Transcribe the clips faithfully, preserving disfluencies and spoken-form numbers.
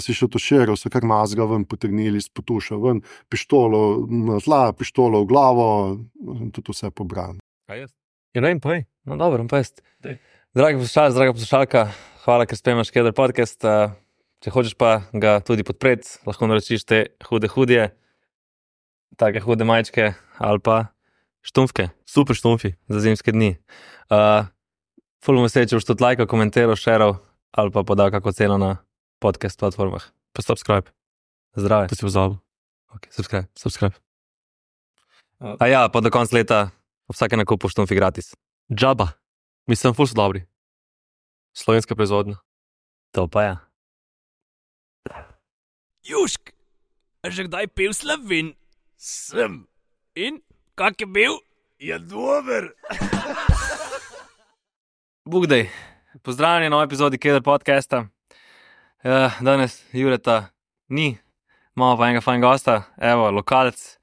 si še tuširal, so kar nazga ven potegnili iz potuša ven, pištolo na tla, pištolo v glavo, tudi vse pobrano. A jaz? Ja, ne vem, povej. No, dobro, pa jaz. Dragi poslušalci, draga poslušalka, hvala, ker spremljaš Keder podcast. Če hočeš pa ga tudi podpreti, lahko naročiš te hude hudje, take hude majčke ali pa štumfke. Super štumfi za zimske dni. Uh, Ful me se, če boš tudi lajkal, komentiral, šeral ali pa podal kako ceno na podcast platformah. Pa subscribe. Zdrave. To si pozabil. Ok, subscribe. Subscribe. A ja, pa do konca leta vsake nakupu štumfi gratis. Džaba. Mislim, ful so dobri. Slovenska proizvodnja. To pa ja. Jušk, a že kdaj pil Slovin? Sem. In? Kak je bil? Je dober. Bugdej. Pozdravljeni na novi epizodi Keder podcasta. Uh, danes Jureta ni, imamo pa enega fajn gosta, evo, lokalc.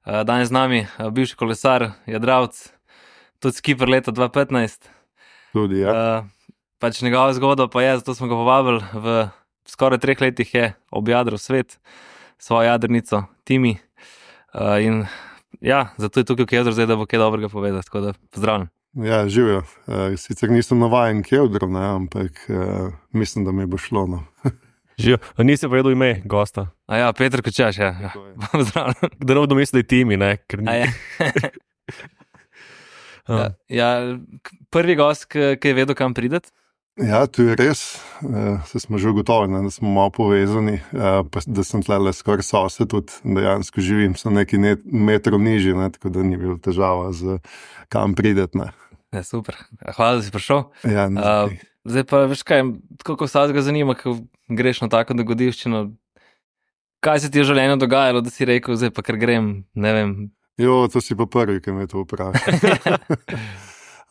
Uh, danes z nami uh, bivši kolesar, jadravc, tudi skipper leta dva petnajst. Tudi, ja. Uh, pač njegova zgodba pa je, zato smo ga povabili, v skoraj treh letih je objadral svet, svojo jadrnico, Timi. Uh, in ja, zato je tukaj v Kedru zdaj, da bo kaj dobrega povedati, tako da pozdravljam. Ja, živijo. Uh, sicer nisem navajen Kedrov, ne, ampak uh, mislim, da mi bo šlo, no. Živijo. Nisi povedal ime gosta. A ja, Peter Kočaš, ja. ja. Pozdravljam. Da ne bodo mislili, da je Timi, ne? Ker ni. A ja. ja, ja, prvi gost, ki je vedel, kam prideti. Ja, to je res. Uh, se smo že ugotovili, da smo malo povezani, uh, pa da sem tlele skoraj sosed, tudi dejansko živim, sem nekaj net, metrov nižji, ne, tako da ni bilo težava z kam prideti. Ne. Ja, super. Hvala, da si prišel. Ja, uh, zdaj pa, veš kaj, tako ko vsega zanima, ko greš na tako dogodivščino, kaj se ti je v življenju dogajalo, da si rekel, zdaj pa ker grem, ne vem. Jo, to si pa prvi, ki me to vpraša.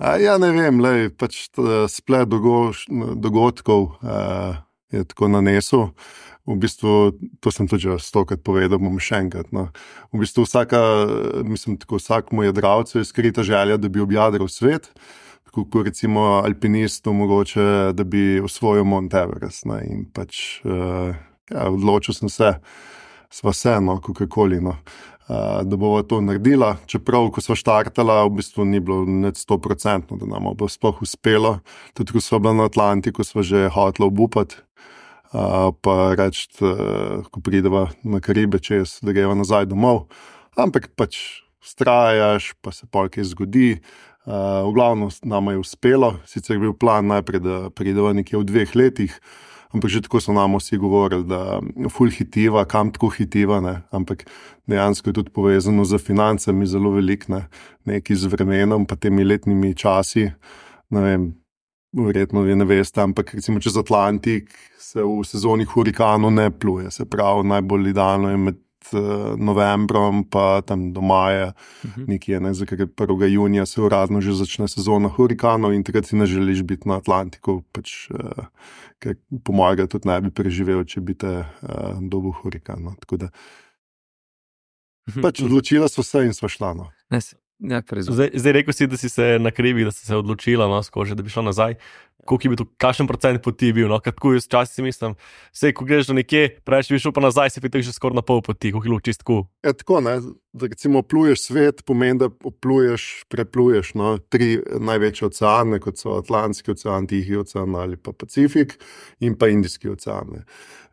Ja, ne vem, lej, pač splet dogodkov uh, je tako nanesel. V bistvu, to sem tudi že stokrat povedal, bom še enkrat. No. V bistvu vsaka, mislim, tako vsakmu jadravcu je skrita želja, da bi objadral svet, tako kot recimo alpinistu mogoče, da bi osvojil Mount Everest. Ne. In pač, uh, ja, odločil sem se, sva se, no, kakorkoli, no. Uh, da bova to naredila, čeprav, ko sva štartala, v bistvu ni bilo net sto procentno, da nam bo sploh uspelo. Tudi, ko sva bila na Atlantiku, sva že hotela obupati, uh, pa reči, uh, ko prideva na Karibe čez, da greva nazaj domov. Ampak pač vztrajaš, pa se pol kaj zgodi. Uh, v glavnem nama je uspelo, sicer je bil plan najprej, da prideva nekje v dveh letih, ampak že tako so nam vsi govorili, da ful hitiva, kam tako hitiva, ne? Ampak dejansko je tudi povezano z financami zelo velik, ne? Nekaj z vremenom, pa temi letnimi časi, ne vem, verjetno vi ne veste, ampak recimo čez Atlantik se v sezoni hurikanov ne pluje, se pravi, najbolj idealno je med novembrom pa tam do maja, uh-huh. nekje, ne, za ker prvega junija se uradno že začne sezona hurikanov in takrat si ne želiš biti na Atlantiku, pač, uh, ker po mojega tudi ne bi preživel, če bi te uh, dobil hurikan, no, tako da pač odločila so se in sva šla, no. Ja, zdaj, zdaj rekel si, da si se na Karibih, da si se odločila, no, skože, da bi šla nazaj. Koliko je bil to, kakšen procent poti bil, no, kako jaz včasih si mislim, sej, ko greš do nekje, preveč bi šel pa nazaj, se pitek že skoraj na pol poti, koliko je bilo čist tako. Ja, tako, ne, da recimo pluješ svet, pomeni, da pluješ, prepluješ, no, tri največje oceane, kot so Atlantski ocean, Tihi ocean ali pa Pacifik in pa Indijski ocean, ne.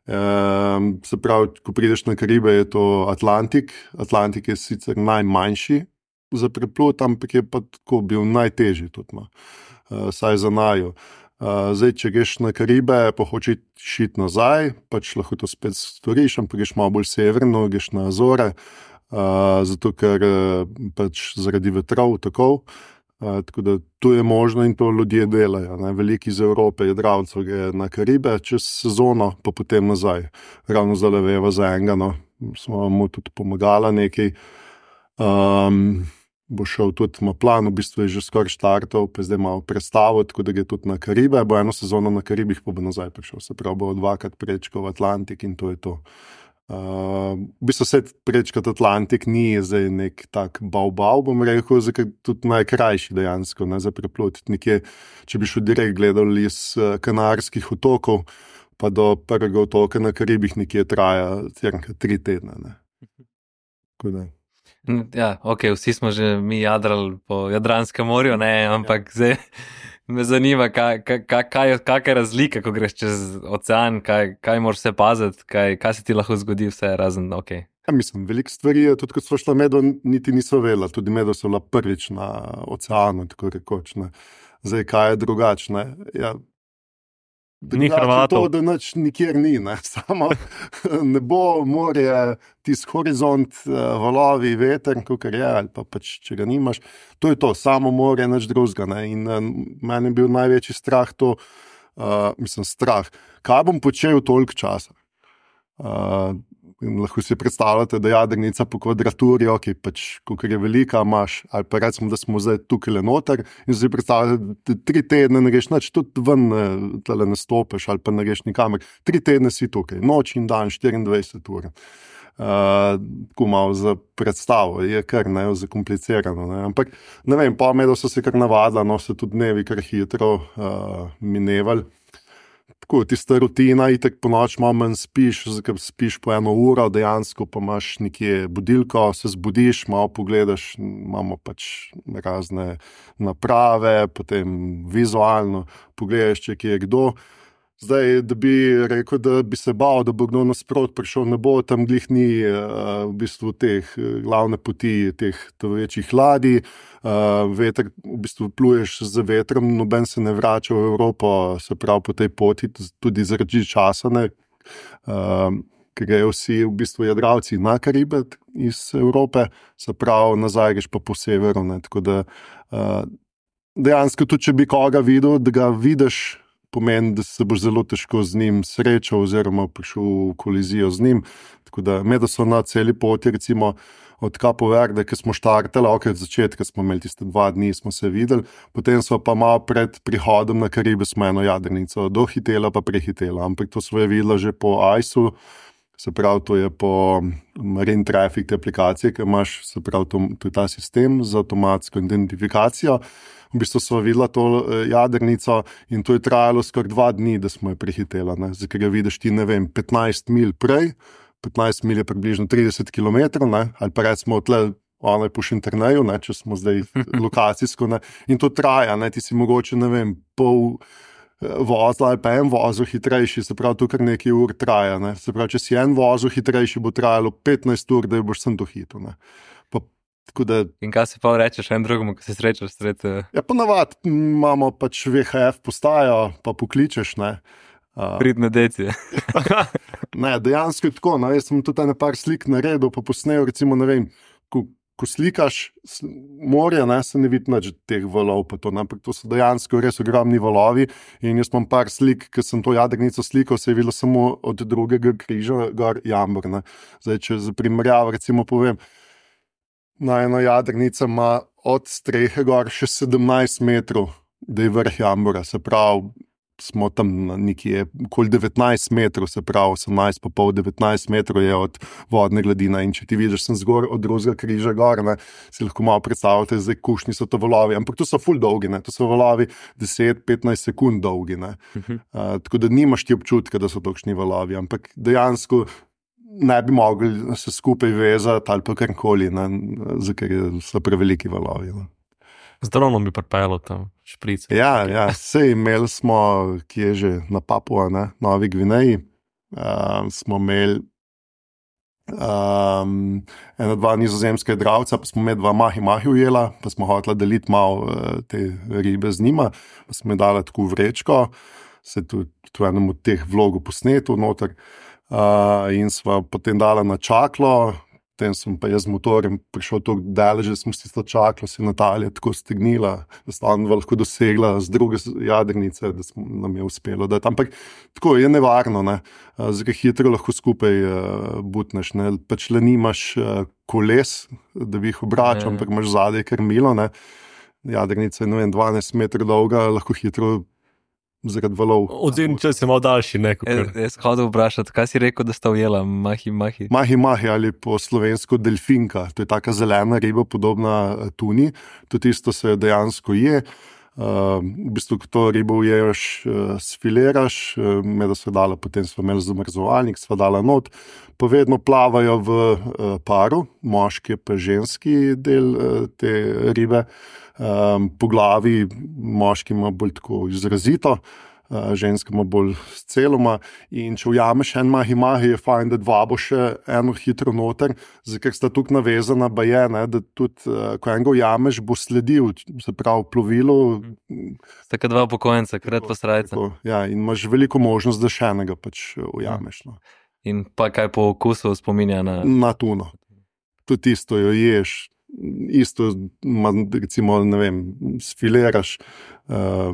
Um, se pravi, ko prideš na Karibe, je to Atlantik, Atlantik je sicer najmanjši za preplut, ampak je pa tako bil najtežji tudi, no. Uh, saj za naju. Uh, zdaj, če greš na Karibe, pa hočeš iti nazaj, pač lahko to spet storiš, ampak greš malo bolj severno, greš na Azore, uh, zato ker pač zaradi vetrov tako, uh, tako da tu je možno in to ljudje delajo, ne. Veliki iz Evrope jadravcev gre na Karibe čez sezono, pa potem nazaj. Ravno zdaj veva za enega, no, smo mu tudi pomagala nekaj. Um, bo šel tudi, ima plan, v bistvu je že skoraj štartov, pa zdaj malo predstavo, tako da gre tudi na Karibe, bo eno sezono na Karibih, pa bo nazaj prišel, se pravi, bo dvakrat prečkal Atlantik in to je to. Uh, v bistvu se prečkati Atlantik ni zdaj nek tak bau-bau, bom rekel, zdaj tudi najkrajši dejansko, ne, za preplut. Nekje, če bi šel direkt gledal iz Kanarskih otokov, pa do prvega otoka na Karibih nekje traja cirka tri tedne. Ne. Ja, ok, vsi smo že mi jadrali po Jadranskem morju, ne, ampak zdaj me zanima, kaj, kaj, kaj, kaj je razlika, ko greš čez ocean, kaj, kaj moraš se paziti, kaj, kaj se ti lahko zgodi, vse razen, ok. Ja, mislim, veliko stvari je, tudi ko smo šla medo, niti niso vedela, tudi medo so bila prvič na oceanu, tako rekoč, ne. Zdaj, kaj je drugačne? Ja, Ni Hrvatov. To, da nič nikjer ni, ne. Samo nebo, morje, tisk horizont, valovi, veter, kakor je, ali pa pač, če ga nimaš. To je to, samo morje, nič drugega, ne. In uh, meni je bil največji strah to, uh, mislim, strah. Kaj bom počel toliko časa? Uh, lahko si predstavljate, da jadrnica po kvadraturi, ok, pač, kakor je velika, imaš, ali pa recimo, da smo zdaj tukaj le noter in si predstavljate, da tri tedne ne greš nič, tudi ven tale ne stopeš ali pa ne greš nikamer. Tri tedne si tukaj, noč in dan, štiriindvajset ur. Uh, tako malo za predstavo, je kar ne, zakomplicirano, ne. Ampak, ne vem, pa medo so se kar navadila, no, se tudi dnevi kar hitro uh, minevali. Tako, tista rutina, itek po noč malo manj spiš, zakaj spiš po eno uro, dejansko pa imaš nekje budilko, se zbudiš, malo pogledaš, imamo pač razne naprave, potem vizualno pogledaš, če kje je kdo. Zdaj, da bi rekel, da bi se bal, da bo kdo nasprot prišel, ne bo, tam glih ni uh, v bistvu teh glavne poti, teh večjih ladij, uh, veter, v bistvu pluješ z vetrom, noben se ne vrača v Evropo, se pravi po tej poti, tudi zaradi časa, ne, uh, ker grejo vsi v bistvu jadralci na Karibe iz Evrope, se pravi nazaj greš pa po severu, ne, tako da uh, dejansko tudi, če bi koga videl, da ga vidiš, pomeni, da se boš zelo težko z njim srečal oziroma prišel v kolizijo z njim. Tako da medo so na celi poti, recimo od Capo Verde, ki smo štartali, ok, od začetka smo imeli tiste dva dni, smo se videli, potem so pa malo pred prihodom na Karibe smo eno jadrnico dohitela pa prehitela, ampak to smo je videla že po I C E-u, se pravi, to je po Marine Traffic te aplikacije, ki imaš, se pravi, to, to je ta sistem za avtomatsko identifikacijo. V bistvu smo videla to jadrnico in to je trajalo skoraj dva dni, da smo jo prehitela, ne. Zdaj, ker jo vidiš ti, ne vem, petnajst milj prej, petnajst milj je približno trideset kilometrov, ne, ali pa recimo tle, ona je po Šinterneju, ne, če smo zdaj lokacijsko, ne, in to traja, ne, ti si mogoče, ne vem, pol vozla ali pa en vozil hitrejši, se pravi, to kar nekaj ur traja, ne, se pravi, če si en vozil hitrejši, bo trajalo petnajst ur, da jo boš sem dohitil, ne. Pa Da, in kaj se pa rečeš en drugemu, ko se srečaš sred? Ja, ponavad imamo pač V H F postajo, pa pokličeš, ne. Uh, Pridne deci. Ne, dejansko je tako, no, jaz sem tudi nekaj slik naredil, pa posnel, recimo, ne vem, ko, ko slikaš morje, ne, se ne vidi nič teh valov, pa to, ne, ampak to so dejansko res ogromni valovi in jaz imam par slik, ki sem to jadrnico slikal, se je videlo samo od drugega križa, gor Jambor, ne. Zdaj, če za primerjavo, recimo, povem, na ena jadrnica ima od strehe gor še sedemnajst metrov, da je vrh Jambora, se pravi, smo tam nekje okoli devetnajst metrov, se pravi, osemnajst pa pol, devetnajst metrov je od vodne gladine in če ti vidiš, sem zgor od drugega križa gor, ne, si lahko malo predstavljate, zdaj kušni so to valovi, ampak to so ful dolgi, ne, to so valovi deset do petnajst sekund dolgi, ne, uh-huh. uh, tako da nimaš ti občutka, da so tolikšni valovi, ampak dejansko ne bi mogli se skupaj vezati ali pa karkoli, ker so preveliki valovi. Ne. Z dronom bi pripelo tam šprice. Ja, ja, sej imeli smo, ki je že na Papua, ne, Novi Gvineji, uh, smo imeli um, ena dva nizozemska jadralca, pa smo med dva mahi-mahi ujela, pa smo hotela deliti malo uh, te ribe z njima, pa smo je dala tako vrečko, se tudi v enem od teh vlogov posnetu noter, Uh, in sva potem dala na čaklo, potem sem pa jaz z motorjem prišel tako daleč, da smo s tisto čaklo se Natalija tako stegnila, da sta on lahko dosegla z druge jadrnice, da smo, nam je uspelo dati. Ampak tako je nevarno, ne. Uh, zdaj hitro lahko skupaj uh, butneš, ne. Pač le nimaš uh, koles, da bi jih obračal, ampak imaš zadaj krmilo, ne. Jadrnica je, ne vem, dvanajst metrov dolga, lahko hitro zaradi valov. Odzim, če si malo daljši, ne? Jaz, jaz hodil vprašati, kaj si rekel, da sta ujela mahi-mahi? Mahi-mahi ali po slovensko delfinka. To je taka zelena riba, podobna tuni. To tisto se dejansko je. Uh, v bistvu, ko to ribo uješ, uh, sfiliraš, uh, med so dala, potem smo imeli zamrzovalnik, sva dala not, pa vedno plavajo v uh, paru, moški pa ženski del uh, te ribe. Um, po glavi moški ima bolj tako izrazito, uh, ženska ima bolj celoma. In če ujameš en mahi-mahi, je fajn, da dva bo še eno hitro noter, ker sta tukaj navezana, ba je, ne, da tudi, uh, ko enega ujameš, bo sledil, se pravi, plovilo. Tako dva upokojenca, krat pa srajca. Tako, ja, in imaš veliko možnost, da še enega pač ujameš. No. In pa kaj po okusu spominja na... Na tuno. Tudi isto jo ješ, isto, recimo, ne vem, sfiliraš, uh,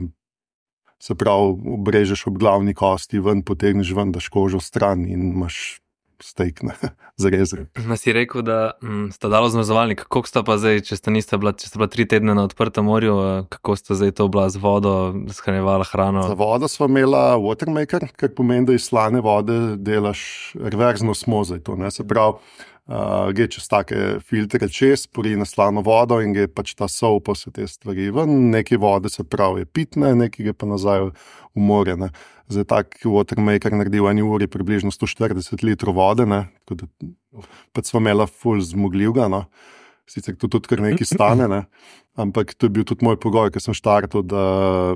se pravi, obrežeš ob glavni kosti, ven potegneš ven, daš kožo stran in imaš steak, ne, zarezre. Ma si rekel, da m, sta dalo zmrzovalnik, kako sta pa zdaj, če sta, nista bila, če sta bila tri tedne na odprtem morju, kako sta zdaj to bila z vodo, shranjevala hrano? Za vodo sva imela watermaker, kar pomeni, da iz slane vode delaš reverzno osmozo, to ne, se pravi, Uh, gre čez take filtre čez, pori na slano vodo in gre pač ta sol pa vse te stvari ven, nekaj vode se pravi je pitne, nekaj gre pa nazaj v morje. Ne. Zdaj tak watermaker naredi v eni uri približno sto štirideset litrov vode, ne, tako da pač smo imela ful zmogljivga, no. Sicer to tudi kar nekaj stane, ne. Ampak to je bil tudi moj pogoj, ker sem štartal, da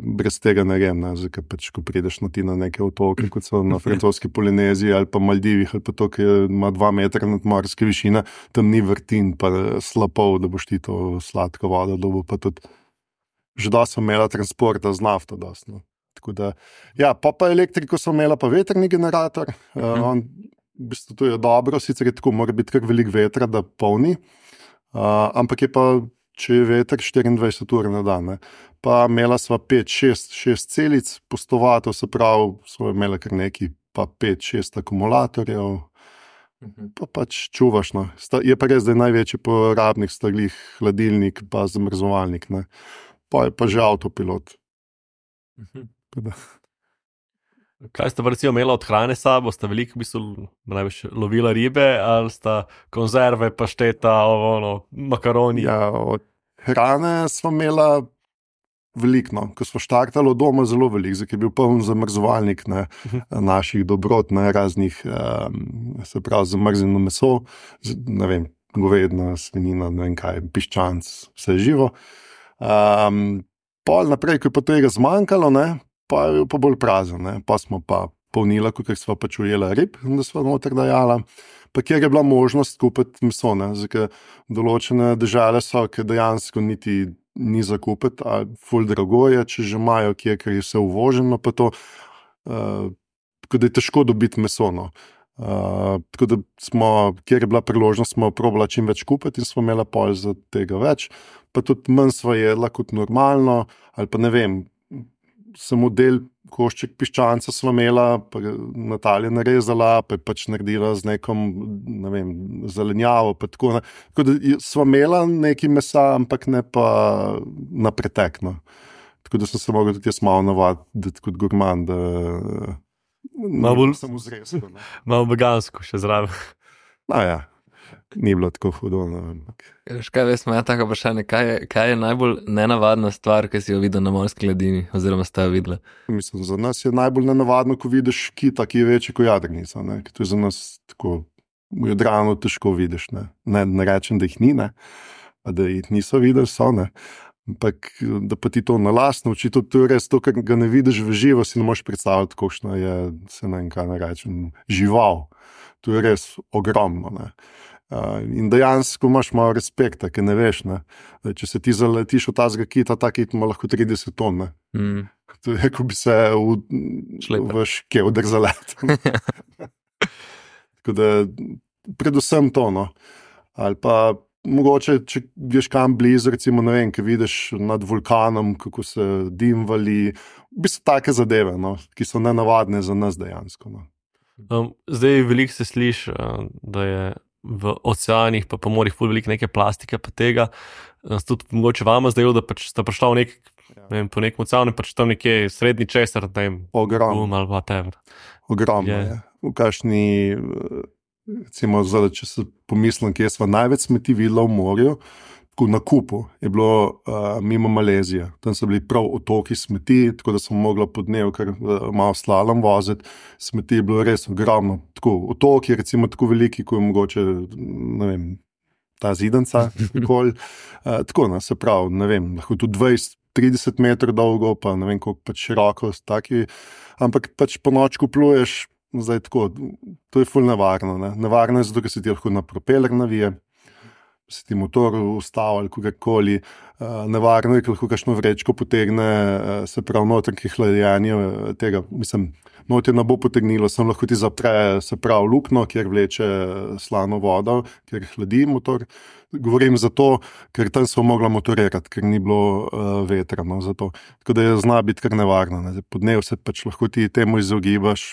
brez tega ne grem, ne. Zdaj, pač, ko prideš na ti na neke otoke, kot so na francoski Polineziji ali pa Maldivih, ali pa to, ki ima dva metra nadmorske višine, tam ni vrtin, pa slapov, da boš ti to sladko vodo dobil, pa tudi že dosti sem imela transporta z nafto dosti, no. Tako da, ja, pa pa elektriko sem imela, pa vetrni generator, uh, on, v bistvu to je dobro, sicer je tako, mora biti kar veliko vetra, da polni, uh, ampak je pa, če je veter štiriindvajset ur na dan, ne. Pa imela sva pet, šest, šest celic postovatov, se pravi, sva imela kar neki, pa pet, šest akumulatorjev, pa pač čuvaš, no. Sta, je pa res, da je največji porabnik staglih hladilnik, pa zamrzovalnik, ne. Pa je pa že avtopilot. Da. Kaj sta pa recimo imela od hrane sabo? Sta veliko v bistvu največ lovila ribe ali sta konzerve, pašteta, ono, makaroni? Ja, od hrane smo imela veliko, no. Ko smo štartali od doma zelo veliko, zdaj je bil poln zamrzovalnik, ne, naših dobrot, ne, raznih, um, se pravi, zamrznjeno meso, ne vem, govedna, svinjina, ne vem kaj, piščanc, vse živo. Um, pol naprej, ko je pa tega zmanjkalo, ne, pa je pa bolj prazen, ne. Pa smo pa polnila, kakor sva pač ujela rib, da sva noter dajala, pa kjer je bila možnost kupiti meso, ne, zdaj, določene države so, ki dejansko niti ni za kupiti, a ful drago je, če že imajo kje, ker je vse uvoženo, pa to, uh, tako da je težko dobiti meso, no. Uh, tako da smo, kjer je bila priložnost, smo probala čim več kupiti in smo imela pol za tega več, pa tudi manj sva jedla kot normalno, ali pa ne vem, samo del košček piščanca sva imela, pa Natalija narezala, pa je pač naredila z nekom, ne vem, zelenjavo, pa tako, ne. Tako da sva imela nekaj mesa, ampak ne pa na pretek, no. Tako da sem se mogel tudi jaz malo navaditi kot gurman, da malo bolj sem vzresko, ne. Malo vegansko še zraven. No ja, ni bilo tako hudo, ne vem. Kaj veš, moja taka vprašanje, kaj je, kaj je najbolj nenavadna stvar, ki si jo videl na morski ledini, oziroma sta jo videla? Mislim, za nas je najbolj nenavadno, ko vidiš kita, ki je večji kot jadrnica, ne. To je za nas tako, v Jadranu težko vidiš, ne. Ne, ne rečem, da jih ni, ne, pa da jih niso videli, so, ne. Ampak, da pa ti to na lastno oči, to je res to, kar ga ne vidiš v živo, si ne moš predstavljati, košno je, se ne vem, kaj ne rečem, žival. To je res ogromno, ne. Uh, in dejansko imaš malo respekta, ker ne veš, ne. Če se ti zaletiš v tazga kita, ta kit ima lahko trideset ton, ne. Mm. To je, ko bi se v, v škevder zaletel. Tako da, predvsem to, no. Ali pa mogoče, če greš kam blizu, recimo, ne vem, ki vidiš nad vulkanom, kako se dim vali, v bistvu take zadeve, no, ki so nenavadne za nas dejansko, no. Um, zdaj veliko se sliši, da je v oceanih pa po morjih ful veliko neke plastike pa tega. Tudi mogoče vama zdaj, da pač sta prišla v nek, ne vem, po nekem oceanu, pač tam nekje srednji česar, ne vem, ogromno, um, ali whatever. Ogromno je. je. V kakšni, recimo, zdaj, če se pomislim, kje sva največ smeti videla v morju, tako na kupu, je bilo uh, mimo Malezije. Tam so bili prav otoki smeti, tako da smo mogli po dnevu kar uh, malo slalom voziti. Smeti je bilo res ogromno. Tako, otoki, recimo, tako veliki, kot je mogoče, ne vem, ta zidanca. uh, tako, no, se pravi, ne vem, lahko tudi dvajset trideset metrov dolgo, pa ne vem, koliko pač široko, taki, ampak pač po nočku pluješ, zdaj tako, to je ful nevarno. Ne? Nevarno je zato, ker se ti lahko na propeler navije, se ti motor ustavi ali kakorkoli. Uh, nevarno je, ker lahko kakšno vrečko potegne, uh, se pravi noter, ki hlajenje tega, mislim, noter ne bo potegnilo, sem lahko ti zapre, se pravi lukno, kjer vleče slano vodo, kjer hladi motor. Govorim zato, ker tam so mogla motorirati, ker ni bilo uh, vetra. No, zato. Tako da je zna biti kar nevarno. Ne. Po dnevu se pač lahko ti temu izogibaš,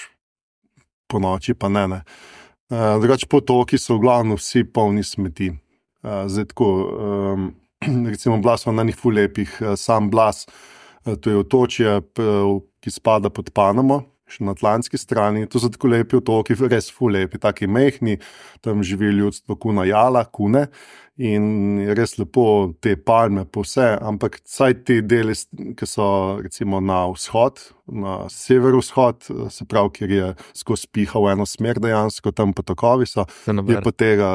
po noči pa ne. ne. Uh, drugače potoki so v glavnem vsi polni smeti. Uh, zdaj tako, um, recimo bila smo na njih ful lepih, uh, sam Blas, uh, to je otočje, uh, ki spada pod Panamo, še na atlantski strani. To so tako lepi otoki, res ful lepi, taki mehni, tam živi ljudstvo kuna jala, kune in je res lepo te palme po vse, ampak saj te deli, ki so recimo na vzhod, na severovzhod, se pravi, kjer je skozi piha v eno smer dejansko, tam potokovi so, je pa tega.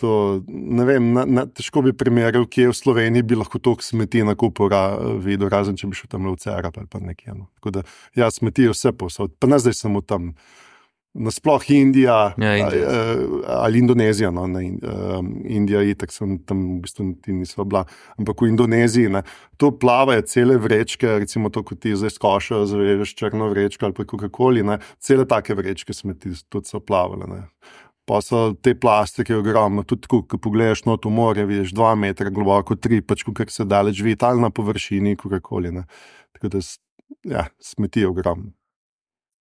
To, ne vem, na, na, težko bi primerjal, kje v Sloveniji bi lahko toliko smeti na kupu ra, videl, razen če bi šel tam v Cerab ali pa nekje. No. Tako da, ja, smeti vse posod. Pa ne zdaj samo tam, nasploh Indija, ja, Indija. ali, ali Indonezija. No, ne, Indija itak sem tam v bistvu ti nisva bila, ampak v Indoneziji, ne, to plavajo cele vrečke, recimo to, kot ti zdaj skošajo, zavežeš črno vrečko ali pa kakokoli, ne, cele take vrečke smeti tudi so plavale, ne. Pa so te plastike ogromno, tudi ko pogledaš not v morje, vidiš dva metra globoko, tri, pač kar se daleč vidi, ali na površini, kakokoli. Tako da, ja, smeti ogromno.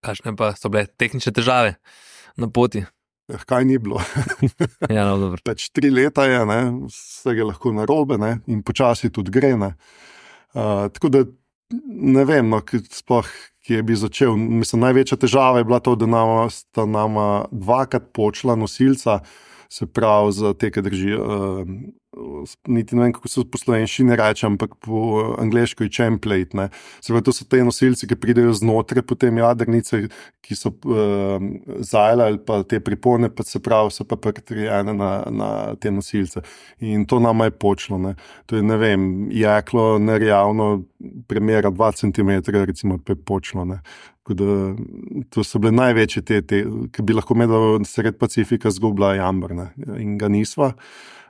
Kakšne pa so bile tehnične težave na poti? Kaj ni bilo? ja, no, dobro. Pač tri leta je, ne, vse je lahko narobe, ne, in počasi tudi gre. Ne. Uh, tako da, ne vem, no, sploh, ki je bi začel. Mislim, največja težava je bila to, da nama, sta nama dvakrat počela nosilca, se pravi za te, ki držijo, uh, niti ne vem, kako se po slovenščini reče, ampak po angleško je champlate. Ne. Se pravi, to so te nosilci, ki pridejo znotraj potem jadrnice, ki so uh, zajle ali pa te pripone, pa se pravi, so pa pritrijene na, na te nosilce. In to nama je počelo. Ne. To je, ne vem, jeklo nerjavno premera dva centimetra, recimo, pa je počelo. Ne. Da, to so bile največje te, te ki bi lahko medal sred Pacifika zgubila jamber, ne, in ga nisva.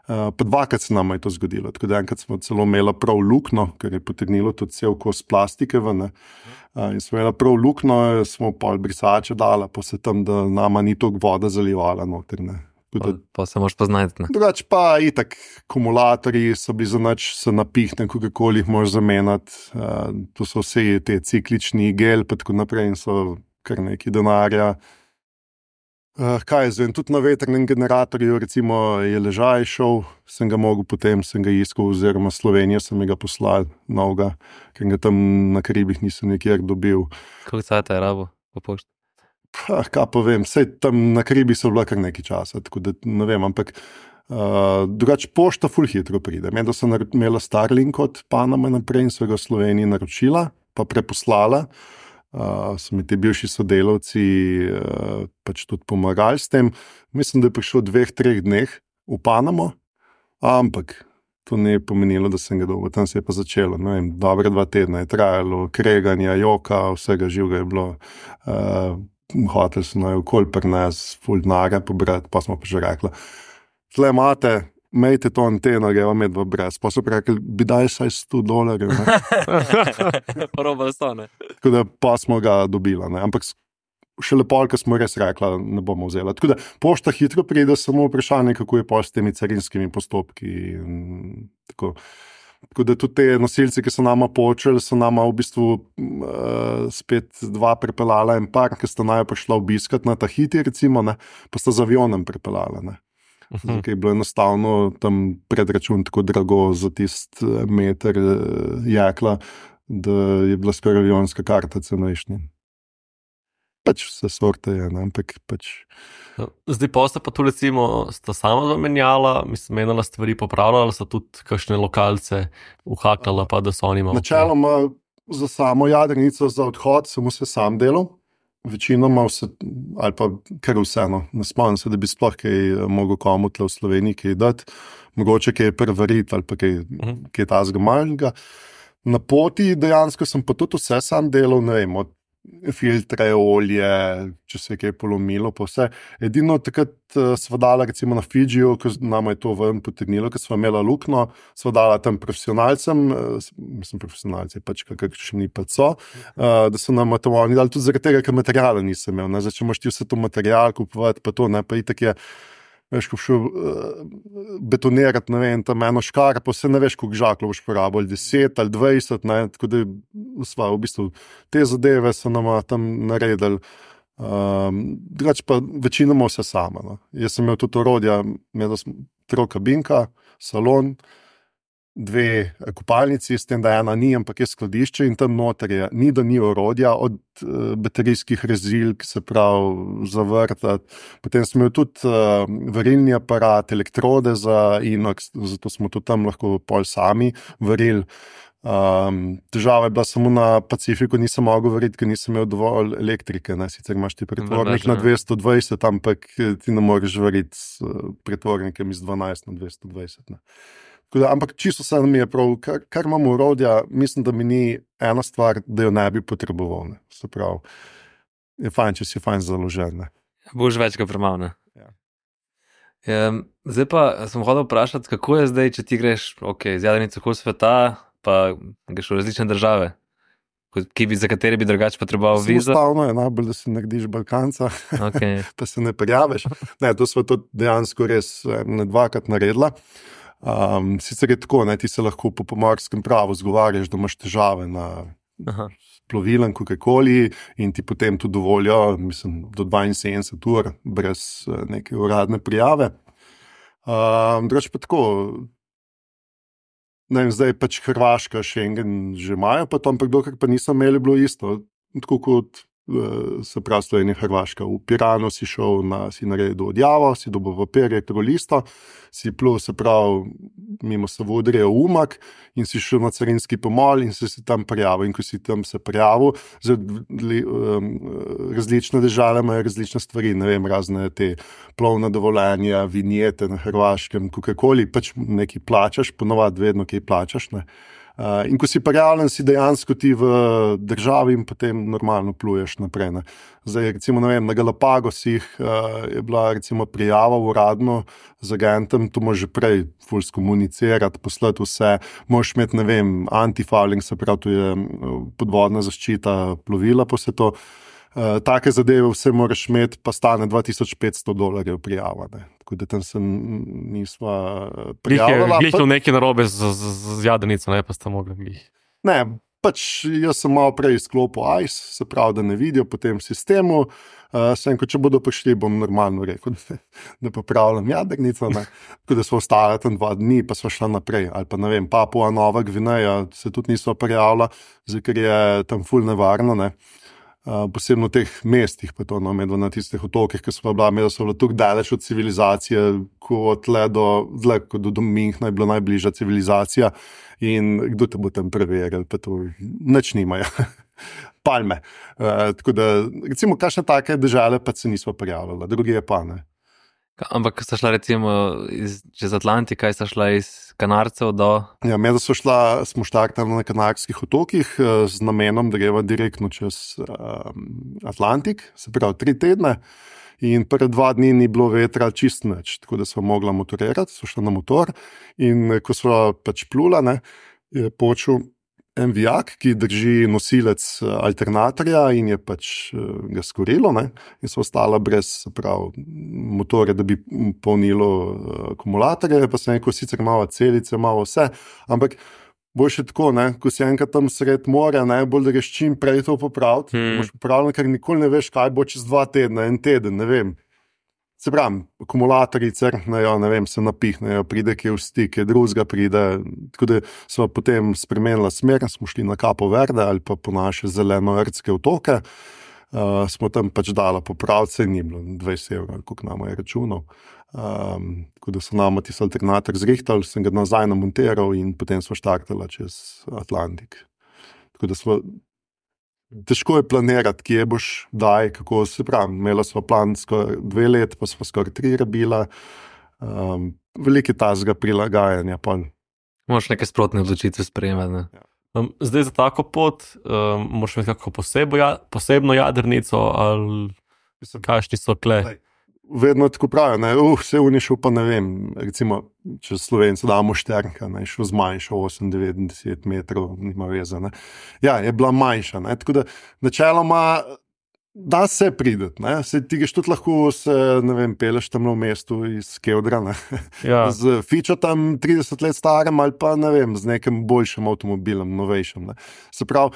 Uh, pa dvakrat se nama je to zgodilo, tako da enkrat smo celo imela prav lukno, ker je potegnilo tudi cel kos plastike ven, uh, in smo imela prav lukno, smo pol brisače dala, pa se tam, da nama ni toliko voda zalivala noter, ne. Pa, pa se moraš poznati. Drugač pa itak akumulatorji so bili za nič, se napihne, kakokoli jih moraš zamenjati. Uh, to so vse te ciklični gel, pa tako naprej in so kar neki denarja. Uh, kaj je zdaj? Tudi na vetrnem generatorju recimo je ležaj šel, sem ga mogel potem, sem ga iskal, oziroma Slovenijo sem ga poslal novega, ker ga tam na Karibih nisem nikjer dobil. Koliko cajta je rabo po pošti? Pa, kaj pa vem, vse tam na Karibi so bila kar nekaj časa, tako da ne vem, ampak uh, drugač pošta ful hitro pride. Medo sem imela Starlink od Paname naprej in so ga v Sloveniji naročila, pa preposlala. Uh, so mi ti bivši sodelavci uh, pač tudi pomagali s tem. Mislim, da je prišel v dveh, treh dneh v Panamo, ampak to ne je pomenilo, da sem ga dobil. Tam se je pa začelo, ne vem, dobre dva tedna je trajalo, kreganja, joka, vsega živega je bilo. Uh, Hotel so naj okoli pri nas ful denarja pobrati, pa smo pa že rekli, tle imate, imejte to anteno, greva medva brez. Pa so pa rekli, bi daj saj sto dolarjev. Roba sto, ne? Tako da pa smo ga dobila, ne. Ampak še lepo, ko smo res rekla, ne bomo vzela. Tako da pošta hitro pride, samo vprašanje, kako je pa s temi carinskimi postopki. In tako. Tako da tudi te nosilci, ki so nama počeli, so nama v bistvu uh, spet dva pripeljala en par, ki sta naj prišla obiskat na Tahiti, recimo, ne, pa sta z avionom pripeljala. Ne. Uh-huh. Zato je bilo enostavno tam predračun tako drago za tist meter uh, jekla, da je bila skoraj avionska karta cenejšnja. pač vse sorte je, ne, ampak pač. Zdaj pa ste pa tu recimo, sta sama zamenjala, mislim, menila stvari popravljala, so tudi kakšne lokalce uhakala, pa da so oni imeli. Načeloma za samo jadrnico, za odhod sem vse sam delal, večinoma vse, ali pa kar vseeno, ne spomnim se, da bi sploh kaj mogel komu tle v Sloveniji kaj dati, mogoče kaj prevariti ali pa kaj, uh-huh. kaj tazga malega. Na poti dejansko sem pa tudi vse sam delal, ne vem, od filtre, olje, če se je kaj polomilo, pa vse. Edino takrat uh, sva dala recimo na Fidžiju, ko nama je to ven potegnilo, ko sva imela lukno, sva dala tam profesionalcem, uh, mislim profesionalci, pač kakšni pa so, uh, da so nam to oni dali tudi zaradi tega, ker materijala nisem imel. Ne? Zdaj, če moš ti vse to materijal kupovati, pa to, ne, pa itak je, veš, ko šel uh, betonirati, ne vem, tam eno škar, pa vse ne veš, koliko žaklov boš porabil, ali deset ali dvajset, ne, tako da sva, v bistvu, te zadeve so nama tam naredili. Um, drugače pa večinoma vse sama. No. Jaz sem imel tudi orodja, imel sem troj kabinka, salon, dve kopalnici, s tem, da ena ni, ampak je skladišče in tam noter je, ni da ni orodja, od uh, baterijskih rezilk, se pravi za vrtati. Potem smo imeli tudi uh, varilni aparat, elektrode za inox, zato smo tudi tam lahko pol sami varili. Um, težava je bila samo na Pacifiku, nisem mogel variti, ker nisem imel dovolj elektrike. Ne? Sicer imaš ti pretvornik na dvesto dvajset, ampak ti ne moreš variti s uh, pretvornikem iz dvanajst na dvesto dvajset. Ne? Da, ampak čisto se mi je prav, kar, kar imamo urodja, mislim, da mi ni ena stvar, da jo ne bi potreboval. Ne. Se pravi, je fajn, če si fajn založen. Ne. Boš več kot premal, ne? Ja. Um, zdaj pa sem hodil vprašati, kako je zdaj, če ti greš, ok, z jadrnico kol sveta, pa greš v različne države, ki bi, za katere bi drugače potreboval vizo. Enostavno je najbolj, da si narediš Balkanca, okay. pa se ne prijaviš. Ne, to smo to dejansko res ne dvakrat naredila. Um, sicer je tako, ne, ti se lahko po pomorskem pravu zgovarjaš, da imaš težave na plovilem, kakorkoli, in ti potem tudi dovolijo, mislim, do dvainsedemdeset ur brez neke uradne prijave. Um, Drugače pa tako, ne vem, zdaj pač Hrvaška, Schengen že imajo, pa to, ampak dokaj pa nisem imeli, bilo isto, tako kot se pravi Slovenija, Hrvaška. V Piranu si šel, na, si naredil odjavo, si dobil papir, elektrolisto, si plul, se pravi, mimo Savudrija v Umag in si šel na carinski pomol in si se tam prijavil. In ko si tam se prijavil, različne države imajo različne stvari, ne vem, razne te plovne dovoljenja, vinjete na Hrvaškem, kakorkoli, pač nekaj plačaš, ponovadi vedno kaj plačaš, ne. Uh, in ko si prijavljen, si dejansko ti v državi in potem normalno pluješ naprej. Ne. Zdaj, recimo, ne vem, na Galapagosih uh, je bila recimo prijava uradno z agentem, to moraš že prej ful skomunicirati, poslati vse, moraš imeti, ne vem, antifouling, se pravi, to je podvodna zaščita plovila, pa se to. Uh, take zadeve vse moraš imeti, pa stane dva tisoč petsto dolarjev prijava. Ne. Tako da tam se nisva prijavila. Glih je nekaj narobe z, z, z jadrnico, ne, pa sta mogla glih. Ne, pač jaz sem malo prej izklopil I C E, se pravi, da ne vidijo po tem sistemu. Uh, sem, ko če bodo prišli, bom normalno rekel, da, da popravljam jadrnico. Ne. Tako da smo ostali tam dva dni, pa smo šli naprej. Ali pa ne vem, Papua Nova Gvineja se tudi nisva prijavila, ker je tam ful nevarno, ne. Uh, posebno v teh mestih, pa to no, medva na tistih otokih, ki so bila, medva so bila tukaj daleč od civilizacije, kot tle do, zle, kot do Minhna je bila najbližja civilizacija in kdo te bo tam preveril, pa to nič nimajo. Palme. Uh, tako da, recimo, kakšne take države pa se nismo prijavljala, drugi je pa, ne. Ampak sta šla recimo iz, čez Atlantika, sta šla iz Kanarcev do... Ja, medva so šla, smo štartali na Kanarskih otokih z namenom, da greva direktno čez um, Atlantik, se pravi tri tedne, in prve dva dni ni bilo vetra čist nič, tako da smo mogla motorirati, so šla na motor in ko smo pač plula, ne, je počel en vijak, ki drži nosilec alternatorja in je pač ga skorilo, ne, in so ostala brez, se pravi, motorja, da bi polnilo akumulatorje, pa se neko sicer malo celice, malo vse, ampak boš je tako, ne, ko si enkrat tam sred morja, najbolj da greš čim prej to popraviti, hmm. boš popravljen, ker nikoli ne veš, kaj bo čez dva tedna, en teden, ne vem. Se pravim, akumulatorji crknejo, ne vem, se napihnejo, pride kje v stik, kje drugega pride, tako da smo potem spremenila smer, smo šli na Capo Verde ali pa po naše zeleno-rdske otoke. uh, smo tam pač dali popravce, ni bilo dvajset evrov, koliko nam je računov. Um, tako da so nam tisti alternator zrihtali, sem ga nazaj namontiral in potem smo štartali čez Atlantik. Tako da smo, težko je planirati, kje boš, daj, kako se pravi. Imela smo plan skoraj dve let, pa smo skoraj tri rabila. Um, Veliki tazga prilagajanja. Pa. Moraš neke sprotne odločitve sprejemati. Ne? Ja. Um, zdaj za tako pot um, moraš imeti kako posebo, ja, posebno jadrnico ali kakšni so kle. Daj. Vedno tako pravijo, ne, uh, vse unišel pa ne vem, recimo, če Slovenci damo šternka, ne, šel zmanjšal osem, devet, deset metrov, nima veze, ne. Ja, je bila manjša, ne, tako da načeloma da se prideti, ne, se ti geš tudi lahko se, ne vem, peleš tam v mestu iz Kevdra, ne, Ja. z fičo tam trideset let starem ali pa, ne vem, z nekim boljšim avtomobilom, novejšim, ne. Se pravi,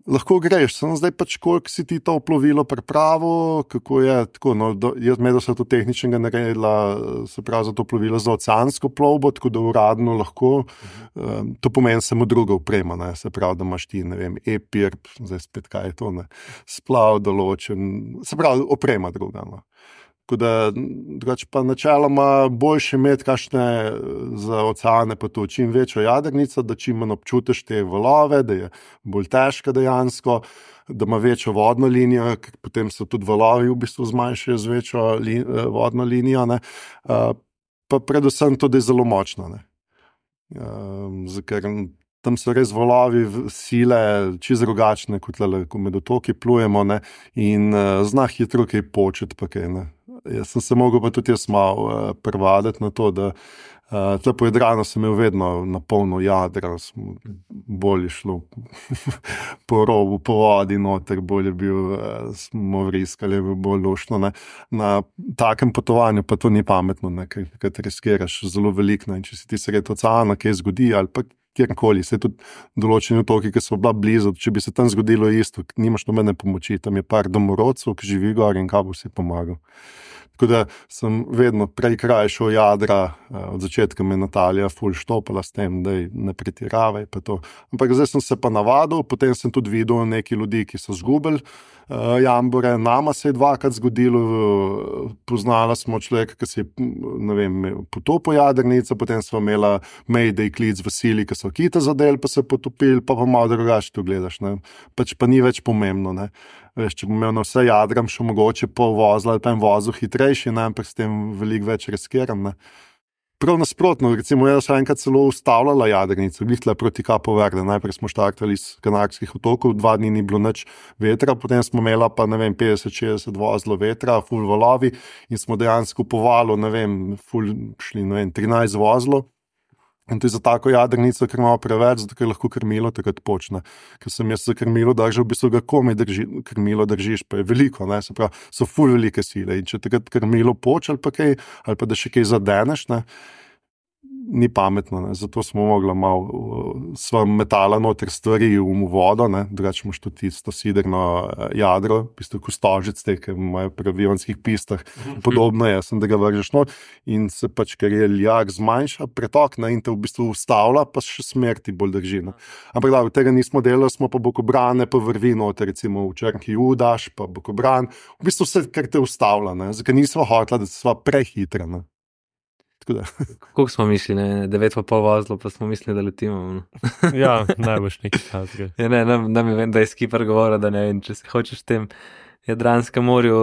lahko greš, samo zdaj pač koliko si ti to plovilo pripravo, kako je, tako, no, do, jaz medel se to tehničnega naredila, se pravi za to plovilo za oceansko plovbo, tako da uradno lahko, um, to pomeni samo druga oprema, ne, se pravi, da imaš ti, ne vem, e-pir, zdaj spet kaj je to, ne, splav določen, se pravi, oprema druga, no. Tako da, drugač pa načeloma boljše imeti kakšne za oceane pa to čim večjo jadrnico, da čim manj občutiš te valove, da je bolj težka dejansko, da ima večjo vodno linijo, ker potem so tudi valovi v bistvu zmanjšajo z večjo li, vodno linijo, ne. Pa predvsem to, da je zelo močna, ne. Ker tam so res valovi sile čisto drugačne, kot tle, ko med otoki plujemo, ne, in zna hitro kaj početi pa kaj, ne. Jaz sem se mogel pa tudi jaz malo uh, prevaditi na to, da uh, tle po Jadranu sem imel vedno na polno jadra, bolj je šlo po robu, po vodi noter, bolj je bil, uh, smo vriskali, bolj luštno, ne. Na takem potovanju pa to ni pametno, ne, ker, ker riskiraš zelo veliko, ne, in če si ti sredi oceana, kaj zgodi, ali pa kjerkoli, se tudi določeni otoki, ki so bila blizu, če bi se tam zgodilo isto, nimaš nobene pomoči, tam je par domorodcev, ki živi gor in kaj bo si pomagal. Tako da sem vedno prej krajšal jadra, od začetka me Natalija ful štopala s tem, da ne pretiravaj pa to. Ampak zdaj sem se pa navadil, potem sem tudi videl neki ljudi, ki so zgubili uh, jambore, nama se je dvakrat zgodilo, uh, poznala smo človeka, ki se je, ne vem, potopil jadrnico, potem smo imela mayday klic v sili, ki so kita zadel, pa se potopili, pa pa malo drugače to gledaš, ne. Pač pa ni več pomembno, ne. Veš, če bom imel na vse jadram, še mogoče pol vozla ali pa en vozil hitrejši, ne, ampak s tem veliko več riskiram, ne. Prav nasprotno, recimo, jaz sem enkrat celo ustavljala jadrnico, glih tle proti Capo Verde, najprej smo štartali iz Kanarskih otokov, dva dni ni bilo nič vetra, potem smo imela pa, ne vem, petdeset šestdeset vozlo vetra, ful valovi in smo dejansko po valu, ne vem, ful šli, ne vem, trinajst vozlo. In to je za tako jadrnico, ker imamo preveč, zato ker lahko krmilo takrat počne. Ker sem jaz za krmilo držal, v bistvu ga komaj drži, krmilo držiš, pa je veliko, ne, se pravi, so ful velike sile. In če takrat krmilo poč ali pa kaj, ali pa da še kaj zadeneš, ne, ni pametno, ne. Zato smo mogli malo, sva metala noter stvari v vodo, ne, drugače imaš tudi tisto siderno jadro, v bistvu kostožic, te, ki imajo pri avionskih pistah, podobno je, sem da ga vržeš not in se pač, ker je ljak zmanjša, pretok, ne, in te v bistvu ustavlja, pa še smrti bolj drži, ne. Ampak da, tega nismo delali, smo pa bokobrane, pa vrvi noter, recimo v Črnki Judaš, pa bokobran, v bistvu vse, kar te ustavlja, ne, zakaj nismo hotela, da sva prehitra, ne. Koliko smo mislili, ne, devet pa pol vozlo, pa smo mislili, da letimo. No. Ja, najboljš nekaj časga. Ja, ne, nam, nam je vem, da je skipper govoril, da ne vem, če se hočeš v tem Jadranskem morju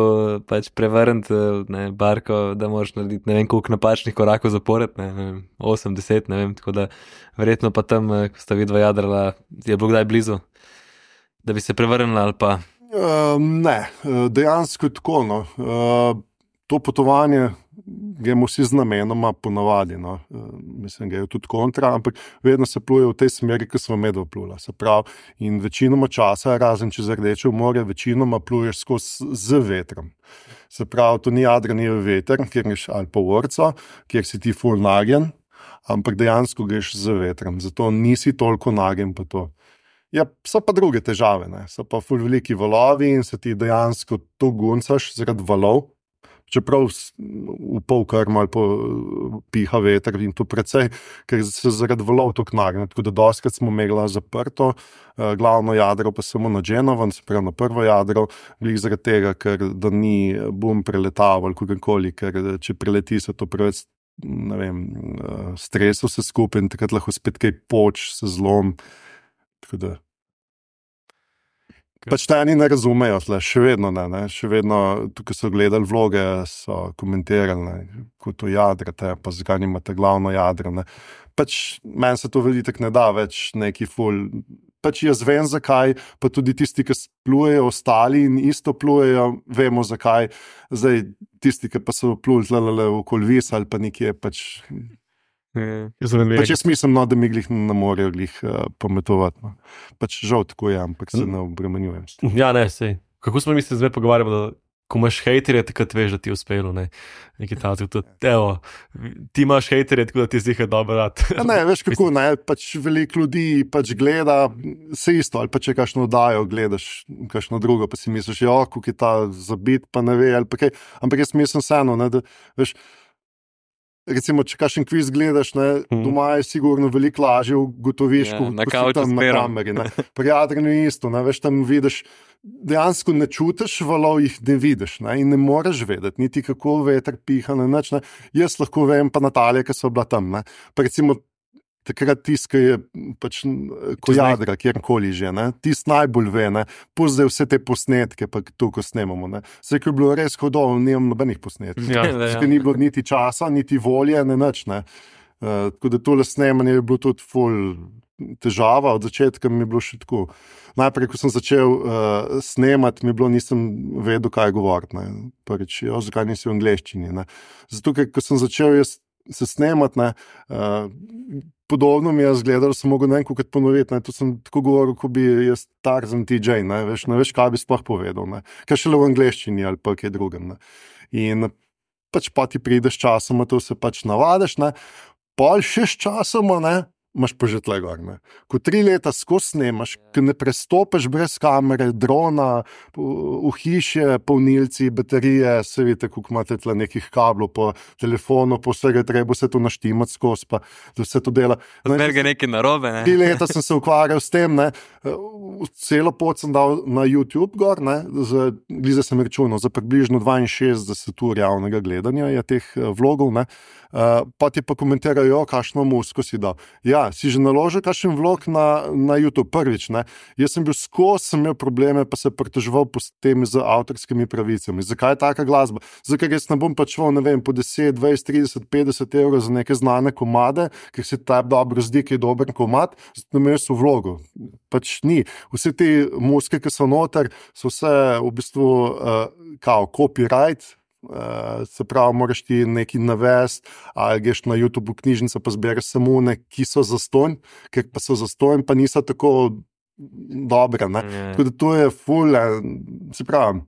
pač prevrniti, ne, barko, da moraš narediti ne vem koliko napačnih korakov zapored, ne, ne vem, osem, deset, ne vem, tako da verjetno pa tam, ko sta vidva jadrala, je bilo kdaj blizu, da bi se prevrnila ali pa? Uh, ne, dejansko je tako, no. Uh, to potovanje gremo vsi z namenoma ponavadi, no. Mislim, da je tudi kontra, ampak vedno se pluje v tej smeri, ki smo medva plula. Se pravi, in večinoma časa, razen čez Rdeče morje, večinoma pluješ skozi z vetrom. Se pravi, to ni jadrani veter, kjer greš ali pa vrco, kjer si ti ful nagen, ampak dejansko greš z vetrom, zato nisi toliko nagen pa to. Ja, so pa druge težave, ne. So pa ful veliki valovi in se ti dejansko to guncaš zaradi valov. čeprav v pol krmo ali po piha veter in to precej, ker se zaradi valov to knarne, tako da doskrat smo imeli zaprto, glavno jadro pa samo na Genovan, se pravi na prvo jadro, glih zaradi tega, ker da ni bom preletav ali kakorkoli, ker če preleti se to preveč, ne vem, stresov se skupaj in takrat lahko spet kaj poč, se zlom, tako da. Pač te eni ne razumejo, tle, še vedno ne, ne, še vedno, tukaj so gledali vloge, so komentirali, ne, kot to jadrate, pa zakaj nimate glavno jadro, ne. Pač meni se to veliko ne da več neki ful, pač jaz vem zakaj, pa tudi tisti, ki plujejo, ostali in isto plujejo, vemo zakaj, zdaj tisti, ki pa so pluli tlele okoli vis ali pa nekje, pač... Yeah. Pač jaz mislim, no, da mi glih ne morejo glih uh, pametovati. No. Pač žal tako je, ampak se ne obremenjujem. Ja, ne, sej. Kako smo mi se zdaj pogovarjali, da ko imaš hejterje, takrat veš, da ti je uspelo, ne? Nekaj tako, to, evo, ti imaš hejterje, tako da ti zdi, da je dobro rad. Ja, ne, veš kako, ne, pač veliko ljudi pač gleda, se isto, ali pa če kakšno dajo, gledaš kakšno drugo, pa si misliš, jo, kako je ta zabit, pa ne ve, ali pa kaj, ampak jaz mislim vseeno, ne, da, veš, recimo, če kakšen kviz gledaš, ne, hmm. doma je sigurno veliko lažje ugotoviš, ja, ko si tam na kameri. Ne. Pri jadranju je isto, ne, veš, tam vidiš, dejansko ne čutiš valov, jih ne vidiš, ne, in ne moreš vedeti, niti kako veter piha, ne, nič, ne. Jaz lahko vem, pa Natalija, ki so bila tam, ne, pa recimo takrat tiska je pač ko jadra, kjerkoli že, ne, tisk najbolj ve, ne, pozdaj vse te posnetke, pa to, ko snemamo, ne, vse, ko je bilo res hodov, nimam nobenih posnetkov, ja, ja. Ni bilo niti časa, niti volje, ne nič, ne, uh, tako da tole snemanje je bilo tudi ful težava, od začetka mi je bilo še tako, najprej, ko sem začel uh, snemati, mi je bilo, nisem vedel, kaj govoriti, ne, prvič, jo, zakaj nisi v angleščini, ne, zato, ker ko sem začel jaz se snemati, ne, uh, podobno mi je zgledalo, sem mogel nekaj kot ponoviti, ne, to sem tako govoril, ko bi jaz Tarzan T J, ne, veš, ne veš, kaj bi sploh povedal, ne, kaj šele v angleščini ali pa kaj drugem, ne, in pač pa ti prideš časoma, to se pač navadiš, ne, pol še s časoma, ne, imaš pa že tle gor, ne. Ko tri leta skozi snemaš, ko ne prestopiš brez kamere, drona, v hiše, polnilci, baterije, se vidite, koliko imate tle nekih kablov po telefonu, po vsega treba se to naštimati skozi, pa da vse to dela. Odmer ga nekaj narobe, ne? Tri leta sem se ukvarjal s tem, ne, celo pot sem dal na YouTube gor, ne, za, glize sem računal, za približno dvainšestdeset ur javnega gledanja je teh vlogov, ne, uh, pa ti pa komentirajo, kakšno muziko si dal. Ja, si že naložil kakšen vlog na, na YouTube prvič, ne? Jaz sem bil skozi, sem imel probleme, pa se pritoževal po tem z avtorskimi pravicami. Zakaj je taka glasba? Zakaj jaz ne bom pačval, ne vem, po deset, dvajset, trideset, petdeset evrov za neke znane komade, ker se ta dobro zdi, ki je dober komad, zato imel so vlogo. Pač ni. Vse te muzike, ki so noter, so vse v bistvu uh, kao copyright, Uh, se pravi, moraš ti nekaj navesti, ali greš na YouTube knjižnico, pa zbereš samo ne, ki so zastonj, ker pa so zastonj, pa niso tako dobre, ne. Yeah. Tako da to je ful, se pravi,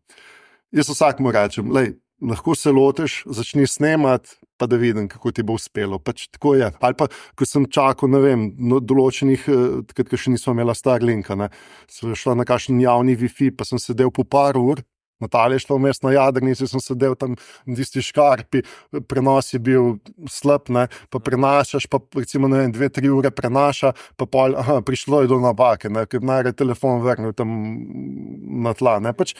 jaz vsakmu rečem, lej, lahko se loteš, začni snemati, pa da vidim, kako ti bo uspelo, pač tako je. Ali pa, ko sem čakal, ne vem, no, določenih, takrat, ko še nismo imela Starlinka, ne, sem šla na kakšen javni Wi-Fi, pa sem sedel po par ur, Natalija je šla vmes na jadrnici, sem sedel tam v tisti škarpi, prenos je bil slab, ne, pa prenašaš, pa recimo, ne vem, dve, tri ure prenaša, pa pol, aha, prišlo je do napake, ne, ker najrej telefon vrnil tam na tla, ne, pač,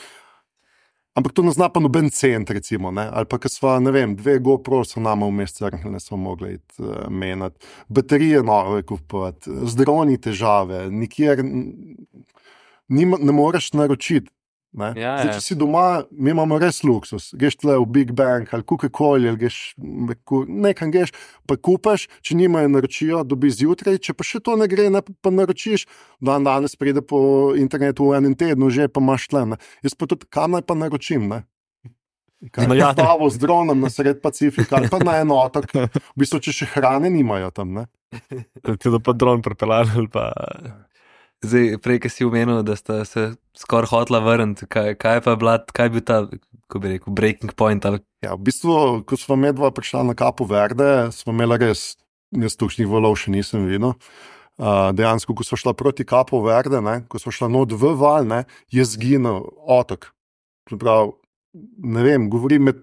ampak to ne zna pa noben cent, recimo, ne, ali pa, ko sva, ne vem, dve GoPro so nama vmes crknili, ne smo mogli iti uh, menati, baterije nove kupovati, z droni težave, nikjer nima, ne moreš naročiti. Ne? Ja, Zdaj, če si doma, mi imamo res luksus, greš tle v Big Bang ali kukakoli, ali greš nekam greš, pa kupaš, če nimajo naročijo, dobi zjutraj, če pa še to ne gre, ne, pa naročiš, dan danes pride po internetu v enem tednu, že pa imaš tle, ne. Jaz pa tudi, kam naj pa naročim, ne? Kaj je stavo z dronom na sred Pacifika, ali pa na en otok, v bistvu, če še hrane nimajo tam, ne? Tudi pa dron prepeljali, ali pa... Zdaj, prej, ki si omenil, da sta se skoraj hotla vrniti, kaj, kaj pa je bila, kaj je bil ta, ko bi rekel, breaking point? Ali... Ja, v bistvu, ko smo medva prišla na Capo Verde, smo imeli res, jaz tukšnih valov še nisem videl. Uh, dejansko, ko smo šla proti Capo Verde, ne, ko smo šla not v val, ne, je zginil otok. Prav, ne vem, govorim med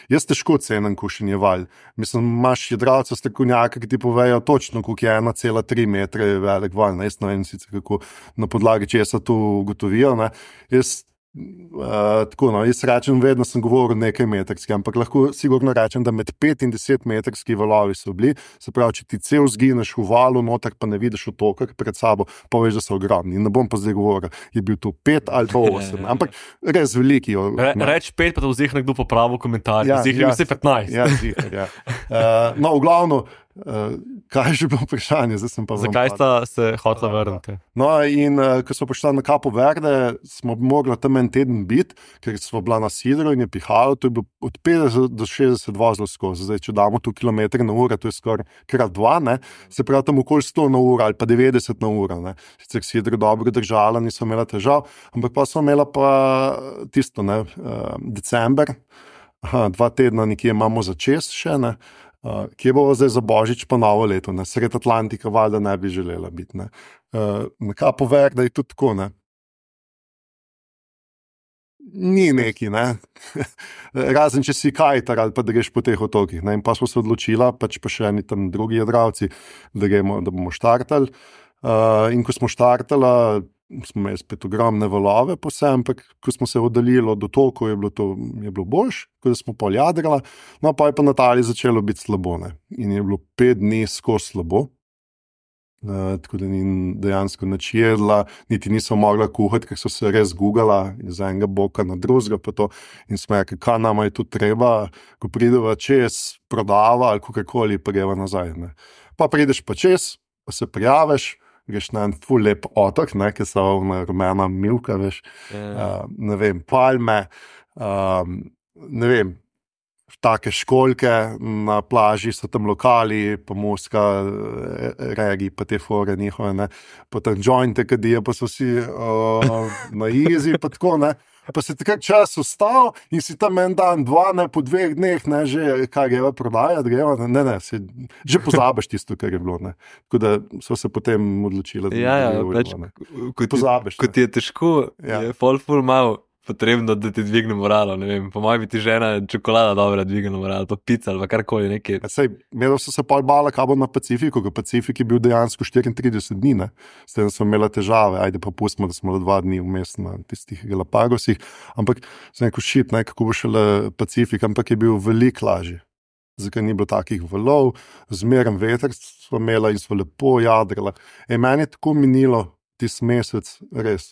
jaz težko cenim kušenje val. Mislim, imaš jadralca strokovnjaka, ki ti povejo točno, koliko je ena cela tri metre velik val. Ne? Jaz ne vem sicer, kako na podlagi česa to ugotovijo. Ne? Jaz Uh, tako, no, jaz rečem, vedno sem govoril nekaj metrski, ampak lahko sigurno rečem, da med pet in deset metrski valovi so bili, se pravi, če ti cel zgineš v valu, noter pa ne vidiš otoka pred sabo, pa veš, da so ogromni. In ne bom pa zdaj govoril, je bil to pet ali pa osem, ampak res veliki. Re, reč pet, pa to vzih nekdo popravil komentar, ja, vzih ja, vse petnajst. Ja, zihar, ja. Uh, no, v glavno, Uh, kaj je že bilo vprašanje? Zakaj sta se hotela vrniti? No, in uh, ko smo prišli na Capo Verde, smo mogli tam en teden biti, ker smo bila na sidru in je pihalo, to je bilo od petdeset do šestdeset vozilo skozi. Zdaj, če damo tu kilometre na uro, to je skoraj krat dva, ne? Se pravi tam okoli sto na uro ali pa devetdeset na uro. Ne? Sicer sidro dobro držala, niso imela težav, ampak pa smo imela pa tisto, ne, uh, december, aha, dva tedna nekje imamo za čez še, ne? Uh, kje bo zdaj za Božič pa novo leto, ne? Sred Atlantika valjda ne bi želela biti. Ne? Uh, na Capo Verde je tudi tako, ne? Ni neki, ne? Razen če si kajtar ali pa da greš po teh otokih. Ne? In pa smo se odločila, pač pa še eni tam drugi jadravci, da, gremo, da bomo štartali. Uh, in ko smo štartali, smo imeli spet ogromne valove po vsem, ampak ko smo se oddaljili od otokov, je bilo to je bilo boljš, ko smo pol jadrala, no pa je pa na Italiji začelo biti slabo, ne. In je bilo pet dni skozi slabo, uh, tako da ni dejansko nič jedla, niti niso mogla kuhati, ker so se res gugala iz enega boka na drugega, pa to in smo rekli, kaj nama je tu treba, ko prideva čez, prodava ali kakorkoli, pa greva nazaj, ne. Pa prideš pa čez, pa se prijaviš, greš na en ful lep otok, ne, ki so na rumena milka, veš, yeah. uh, ne vem, palme, um, ne vem, take školjke na plaži, so tam lokali, pa muska, regi, pa te fore njihove, ne, pa tam jointe, kadijo, pa so vsi uh, na easy, pa tako, ne. Pa se takrat čas ustal in si tam en dan, dva, ne, po dveh dneh, ne, že kaj greva prodajati, greva, ne, ne, si, že pozabiš tisto, kar je bilo, ne. Tako da so se potem odločila, da ja, ne ja, bo, ne. Ko pozabiš. Ko ti je težko, ja. Je ful ful malo potrebno, da ti dvigne moralo, ne vem, po mojem bi ti žena čokolada dobra dvigne moralo, pa pica ali pa karkoli nekaj. Ja, sej, imela so se pol bala, kaj bo na Pacifiku, ker Pacifik je bil dejansko štiriintrideset dni, ne, s tem smo imela težave, ajde pa pustimo, da smo dva dni vmes na tistih Galapagosih, ampak sem rekel, šit, ne, kako bo šele Pacifik, ampak je bil veliko lažji. Zakaj ni bilo takih valov, zmeren veter smo imela in smo lepo jadrala. E, meni je tako minilo tisti mesec, res.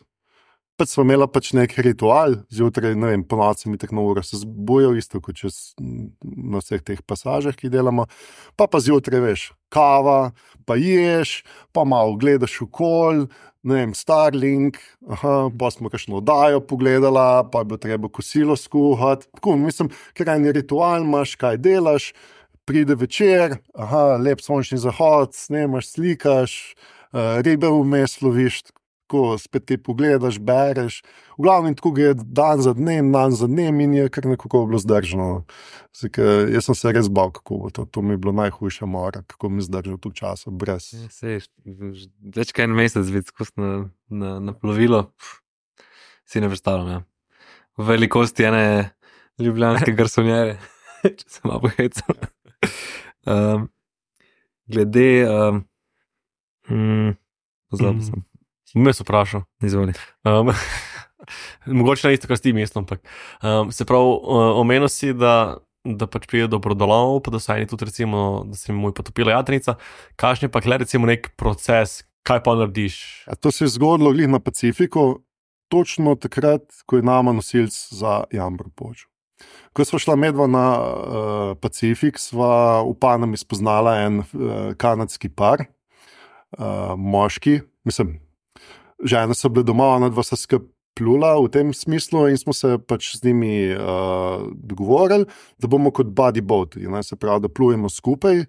Pač smo imela pač nek ritual, zjutraj, ne vem, po noci mi tako na uro se zbujal, isto kot čez na vseh teh pasažah, ki delamo, pa pa zjutraj, veš, kava, pa ješ, pa malo gledaš okol, ne vem, Starlink, aha, pa smo kakšno oddajo pogledala, pa je bilo treba kosilo skuhati, tako, mislim, ker en ritual imaš, kaj delaš, pride večer, aha, lep sončni zahod, snemaš, slikaš, uh, ribe vmes loviš, tako spet kaj pogledaš, bereš, v glavnem tako gre dan za dnem, dan za dnem in je kar nekako bilo zdržano. Zdaj, jaz sem se res bal, kako bo to, to mi je bilo najhujša mora, kako mi zdržal tu časa, brez. Ja, sej, več kaj en mesec biti skozi na, na, na plovilo, si ne predstavljam, ja. V velikosti ene ljubljanske garsonjere, če se malo pohecam. Um, glede, um, mm, pozabil sem. Me so vprašal. Izvoli. Um, mogoče ne isto, kar s tim mestom, ampak um, se pravi, omenil si, da, da pač pride do brodolomov, pa da so eni tudi recimo, da se mu je potopila jadrnica. Kakšen je pa kle recimo nek proces, kaj pa narediš? Ja, to se je zgodilo glih na Pacifiku, točno takrat, ko je nama nosilc za jambor počel. Ko sva šla medva na uh, Pacifik, sva v Panami spoznala en uh, kanadski par, uh, moški, mislim, žene so bile doma, ona dva sta skupaj plula v tem smislu in smo se pač z njimi uh, dogovorili, da bomo kot buddy boat, ne, se pravi, da plujemo skupaj,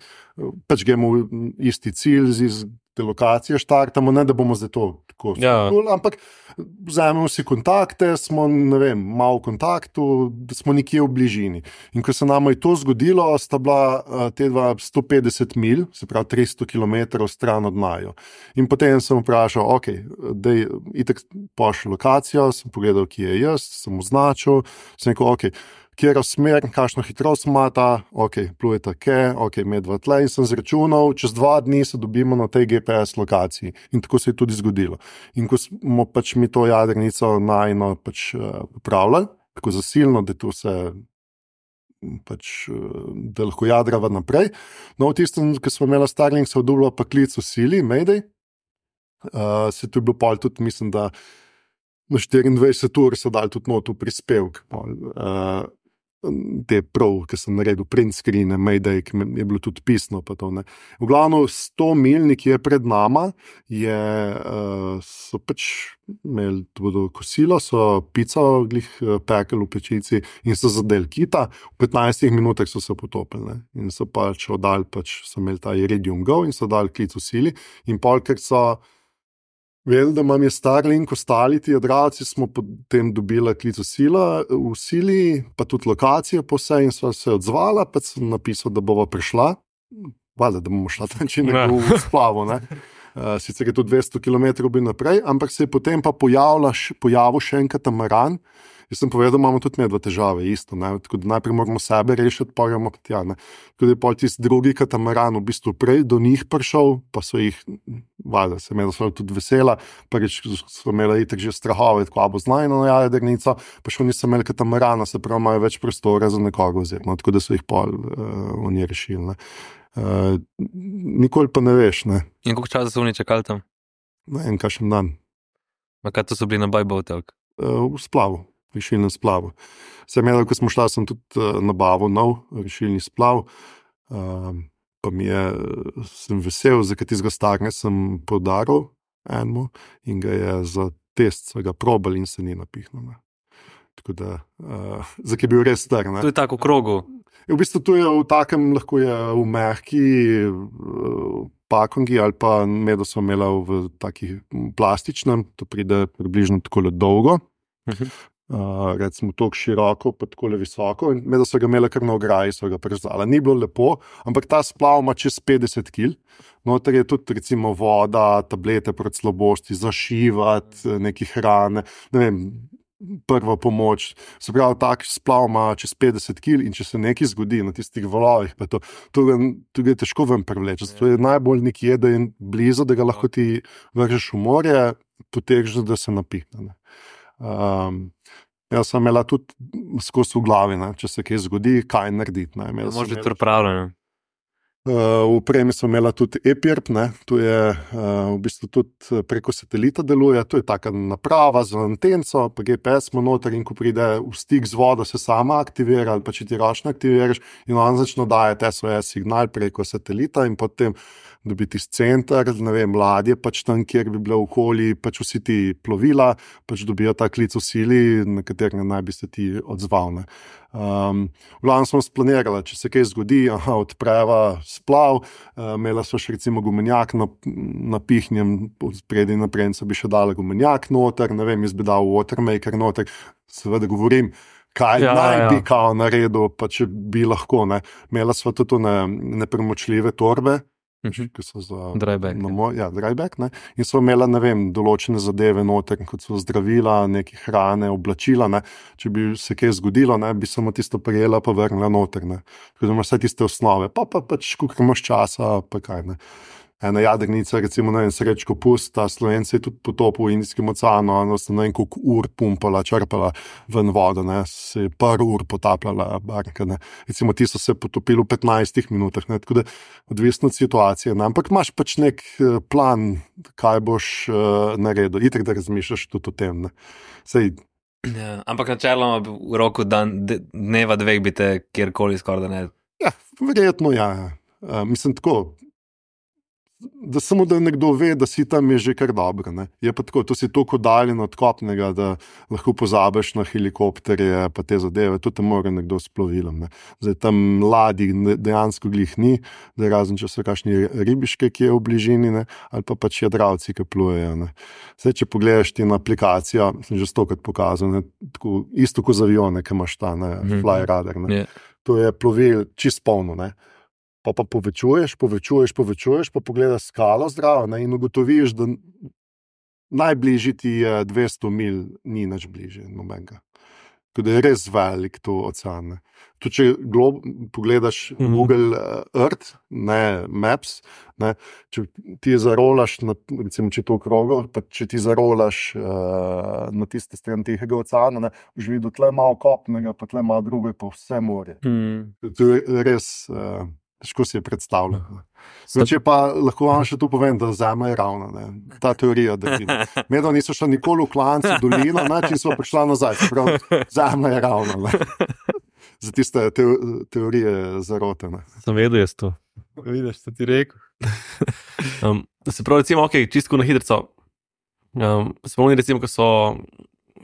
pač gremo v isti cilj z iz te lokacije štartamo, ne da bomo zdaj to tako ja. Pluli, ampak vzamemo si kontakte, smo, ne vem, malo v kontaktu, da smo nekje v bližini. In ko se nama je to zgodilo, sta bila uh, te dva sto petdeset milj, se pravi tristo kilometrov stran od naju. In potem sem vprašal, ok, dej, itak pošli lokacijo, sem pogledal, kje je jaz, sem označil, sem rekel, ok, kjer smer, kakšno hitrost imata, ok, plujeta ke, ok, medva tle in sem zračunal, čez dva dni se dobimo na tej G P S lokaciji in tako se je tudi zgodilo. In ko smo pač mi to jadrnico najno pač popravljali, tako zasilno, da to se pač, da lahko jadrava naprej. No, v tistem, ko smo imeli Starlink, se odobilo pa klic v sili, Mayday, uh, se to je bilo pol tudi, mislim, da na štiriindvajset ur so dali tudi not v prispevk, uh, te prav, ki sem naredil print screene, Mayday, ki je bilo tudi pisno. Pa to, ne. V glavno sto mil nekje pred nama je, uh, so pač imeli tudi kosilo, so pico glih pekel v pečici in so zadeli kita. V petnajstih minutah so se potopili, ne. In so pač oddali, pač so imeli ta Iridium Go in so dali klic v sili in pol, ker so vedeli, da imam je Starlink, ostali ti jadralci, smo potem dobili klic v, sila, v sili, pa tudi lokacije po vse in sva se odzvala, pa sem napisal, da bova prišla, valjda, da bomo šla tam če nekdo v splavo, ne. Uh, sicer je to dvesto kilometrov bi naprej, ampak se je potem pa pojavila, pojavil še en katamaran. Jaz sem povedal, imamo tudi medva težave, isto, ne? Tako da najprej moramo sebe rešiti, pa gremo pa tja, ne? Tako da je pol tisti drugi katamaran v bistvu prej do njih prišel, pa so jih, valjda, se imela so tudi vesela, prvič so imela itak že strahove, tako abo znajno na jadrnico, pa še nisem imeli katamarana, se pravi, imajo več prostora za nekoga vzeti, no? Tako da so jih pol uh, oni rešili, ne? Uh, nikoli pa ne veš, ne? In koliko časa so oni čakali tam? Ne, en kakšen dan. Ma kaj to so bili na Bajbotelk? Uh, v splavu. Rešilnem splavu. Sem imel, ko smo šla, sem tudi uh, nabavil nov rešilni splav, uh, pa mi je, sem vesel, za katizga starne sem podaril enemu in ga je za test svega probal in se ni napihnil. Tako da, uh, za ki je bil res star. Ne? To je tako v krogu. V bistvu to je v takem, lahko je v mehki uh, pakongi ali pa medo smo imela v takih plastičnem, to pride približno tako dolgo. Uh-huh. Uh, recimo tako široko, pa tako visoko in da so ga imeli kar na ograji, so ga preždala. Ni bilo lepo, ampak ta splav ima čez petdeset kil. Noter je tudi recimo voda, tablete proti slabosti, zašivati, neki hrane, ne vem, prva pomoč. Se pravi, tak splav ima čez petdeset kil in če se nekaj zgodi na tistih valovih, pa to, to, ga, to ga je težko ven prevleči. To je najbolj nekje, da je blizu, da ga lahko ti vržeš v morje, potegneš, da se napihne. Ne. Um, jaz sem imela tudi skozi v glavi, ne, če se kaj zgodi, kaj narediti. Može biti pripravljeno. Uh, v opremi sem imela tudi ePIRP, ne, to je uh, v bistvu tudi preko satelita deluje, to je taka naprava z antenco, pa G P S ima noter in ko pride v stik z vodo, se sama aktivira ali pa če ti ročno aktiviraš in on začne dajati S O S signal preko satelita in potem dobiti iz center, ne vem, ladje, pač tam, kjer bi bilo okoli, pač vsi ti plovila, pač dobijo ta klic v sili, na katerega naj bi se ti odzval. Ne. Um, v glavnem smo splanirali, če se kaj zgodi, aha, odpreva splav, uh, imela so še recimo gumenjak na, napihnjem, spredi naprej so bi še dala gumenjak noter, ne vem, jaz bi dal watermaker noter, seveda govorim, kaj ja, naj ja. bi kao naredil, pa če bi lahko, ne. Imela sva tudi ne, nepremočljive torbe, Uh-huh. ki so za dryback, no, ja, dryback, ne. In so imela, ne vem, določene zadeve noter, kot so zdravila, neke hrane, oblačila, ne. Če bi se kaj zgodilo, ne, bi samo tisto prijela pa vrnila noter, ne. Tako da imaš vse tiste osnove, pa pa pač, koliko imaš časa, pa kaj, ne. Ena jadrnica, recimo, ne vem, Srečko Pust, ta Slovenci je tudi potopil v Indijskem oceanu, no, so ne vem, koliko ur pumpala, črpala ven vodo, ne, se je par ur potapljala barka, ne. Recimo, ti so se potopili v petnajstih minutah, ne, tako da odvisno od situacije, ne, ampak imaš pač nek plan, kaj boš uh, naredil, itak da razmišljaš tudi o tem, ne. Sej, ja, ampak načeloma v roku dan, dneva dveh bi te kjerkoli skoraj da ne. Ja, verjetno ja, uh, mislim tako, da samo da nekdo ve, da si tam je že kar dobro. Ne? Je pa tako, to si toliko daljen od kopnega, da lahko pozabiš na helikopterje pa te zadeve, to te mora nekdo s plovilom. Ne? Zdaj tam ladij dejansko glih ni, da razen če so kakšni ribiške, ki je v bližini, ne? Ali pa pač jadralci, ki plujejo. Ne? Zdaj, če pogledaš ti na aplikacijo, sem že stokrat pokazal, ne? Tako, isto kot z avione, ki imaš ta, ne? Fly radar. Ne? Yeah. To je plovil čist polno, ne? Pa pa povečuješ, povečuješ, povečuješ, pa pogledaš skalo zdravo, ne, in ugotoviš, da najbližji ti je dvesto mil, ni nič bližje nobenega. Tako da je res velik to ocean. Ne. Tudi če glob, pogledaš mm-hmm. Google Earth, ne Maps, ne, če ti zarolaš, na, recimo, če to krogo, pa če ti zarolaš uh, na tiste stran Tihega oceana, ne, boš videl tle malo kopnega, pa tle malo drugo, pa vse morje. Mm. To je res... Uh, Težko si je predstavljati. Če pa lahko vam še tu povem, da Zemlja je ravna. Ne? Ta teorija, da ti medov niso šla nikoli v klancu, dolino, način smo prišla nazaj. Prav, Zemlja je ravna. Ne? Za tiste te, teorije zarote. Ne? Sem vedel jaz to. Vidiš, što ti rekel. um, se pravi, recimo, ok, čistko na hidrco. Um, spomni recimo, ko so...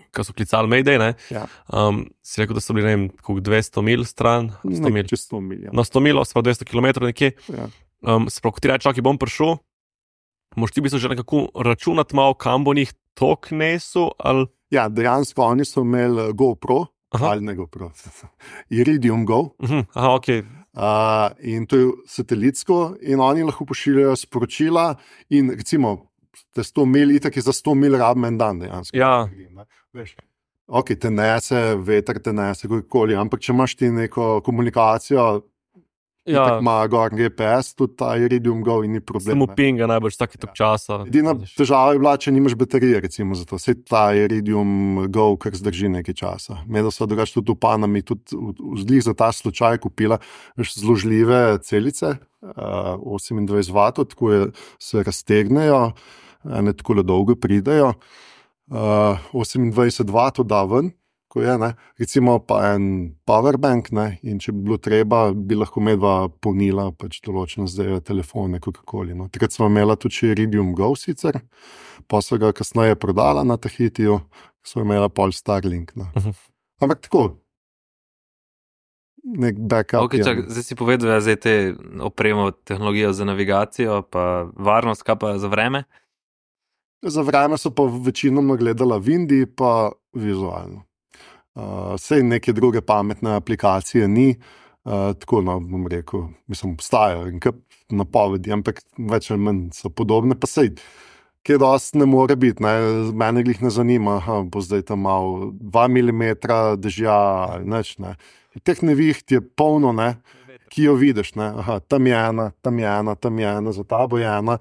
ko so klicali Mayday, ne? Ja. Um, si rekel, da so bili, ne vem, koliko dvesto mil stran? sto mil. Čez sto mil, ja. No, sto mil, se pravi dvesto kilometrov nekje. Ja. Um, se pravi, ko ti reči, ok, bom prišel, moš ti bi se že nekako računati malo, kam bo njih tok nesel, ali... Ja, dejansko oni so imeli GoPro, aha. Ali ne GoPro, Iridium Go. Uh-huh. Aha, ok. Uh, in to je satelitsko in oni lahko pošiljajo sporočila in recimo te sto mil, itak je za sto mil rabim en dan dejansko. Ja. Veš, ok, te nese, veter te nese, kakoli, ampak če imaš ti neko komunikacijo, ja. Tako ima gor G P S, tudi ta Iridium Go in ni problem. Samo pinga najbolj taki tok časa. Edina težava je bila, če nimaš baterije, recimo za to. Vse ta Iridium Go, kar zdrži nekaj časa. Medo so drugač tudi v Panami, tudi vzlih za ta slučaj kupila zložljive celice, uh, osemindvajset vatov, tako je, se raztegnejo, ne tako dolgo pridejo. Uh, osemindvajset vatov da ven, ko je, ne, recimo pa en powerbank, ne, in če bi bilo treba, bi lahko medva polnila pač določene zdaj telefone, kakokoli. No. Takrat smo imela tudi Iridium Go sicer, pa so ga kasneje prodala na Tahitiju, so imela pol Starlink. No. Uh-huh. Ampak tako, nek backup. Okay, čak, zdaj si povedal, da zdaj te opremo tehnologijo za navigacijo, pa varnost, kaj pa za vreme? Za vreme so pa večinoma gledala Vindi, pa vizualno. Uh, sej neke druge pametne aplikacije ni, uh, tako no, bom rekel, mislim, obstajajo in kap napovedi, ampak več ali manj so podobne, pa sej, kje dosti ne more biti, ne, mene glih ne zanima, aha, bo zdaj tam malo dva milimetra dežja ali neč, ne. Teh neviht je polno, ne, ki jo vidiš, ne, aha, tam je ena, tam je ena, tam je ena, za tabo je ena,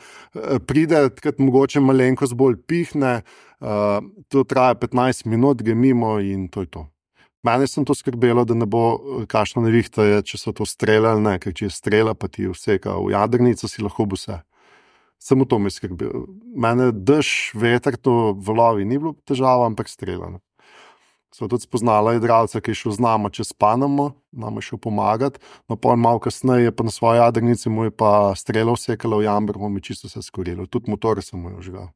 pride, takrat mogoče malenkost bolj pihne, Uh, to traja petnajst minut, gre mimo in to je to. Mene sem to skrbelo, da ne bo kakšna nevihta je, če so to strele ali ne, ker če je strela, pa ti vseka v jadrnico, si lahko bo vse. Samo to me skrbelo. Mene dež, veter, to valovi ni bilo težava, ampak strela. Ne. So tudi spoznala jadralca, ki je šel z nama čez Panamo, nam je šel pomagati, no pol malo kasneje pa na svoji jadrnici mu je pa strela vsekala v jamber, mu je čisto vse skorilo. Tudi motor sem mu jo žgal.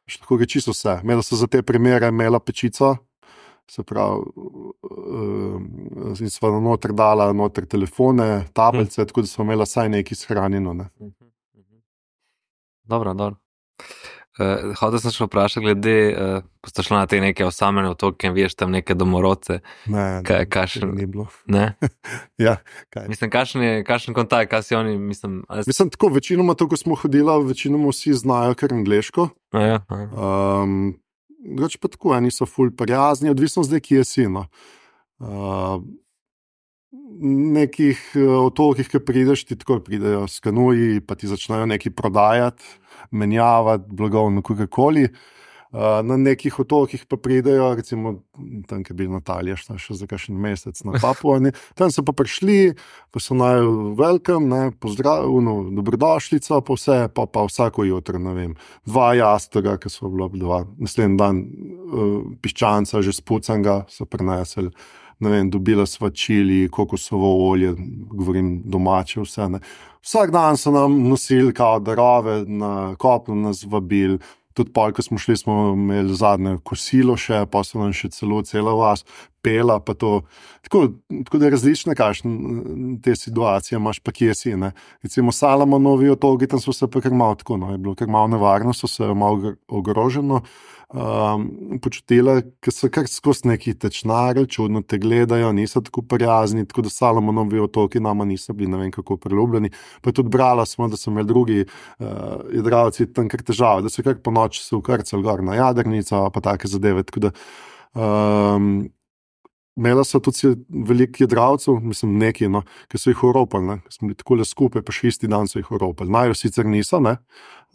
Tako je čisto vse. Imela so za te primere imela pečico, se pravi, uh, in sva noter dala noter telefone, tablice, hm. Tako da smo imela saj nekaj shranjeno. Ne. Dobro, dobro. Uh, Hotel sem še vprašati glede, uh, ko ste šli na te neke osamljene otoke in vidiš tam neke domorodce. Ne, kaj, kašen, ni bilo. Ne? Ja, kaj? Mislim, kašen je, kašen kontakt, kaj si oni, mislim... Ali... Mislim, tako, večinoma to, ko smo hodila, večinoma vsi znajo kar angleško. A ja, a ja. Um, Drugač pa tako, eni so ful prijazni, odvisno zdaj, kje si, no. Uh, nekih otokih, ki prideš, ti tako pridejo s kanuji, pa ti začnejo nekaj prodajati, menjavati, blagovno, kakokoli. Uh, na nekih otokih pa pridejo, recimo tam, ki je bil Natalija, šta še za kakšen mesec na Papua, tam so pa prišli, pa so naj welcome, ne, pozdrav, no, dobrodošlico, pa vse, pa, pa vsako jutro, ne vem, dva jastoga, ki so bila dva, naslednji dan uh, piščanca, že spucanga so prinesli, ne vem, dobila sva čili, kokosovo olje, govorim domače vse, ne. Vsak dan so nam nosili kao darove, na kopno nas vabili, tudi pol, ko smo šli, smo imeli zadnje kosilo še, pa so nam še celo cela vas pela, pa to, tako, tako da je različne kakšne te situacije imaš, pa kje si, ne. Recimo Salamonovi otoki, tam so se pa kar malo tako, no, je bilo kar malo nevarno, so se malo ogroženo um, počutile, ker so kar skozi neki tečnari, čudno te gledajo, niso tako prijazni, tako da Salamonovi otoki nama niso bili, ne vem kako priljubljeni, pa tudi brala smo, da so imeli drugi uh, jadralci tam kar težave, da so kar po noči se ukrcali gor na jadrnico, pa take zadeve, tako da Um, Imela so tudi veliko jedralcev, mislim, neki, no, ki so jih oropali, ne, ki smo bili tako le skupaj, pa še isti dan so jih oropali. Najo sicer niso, ne,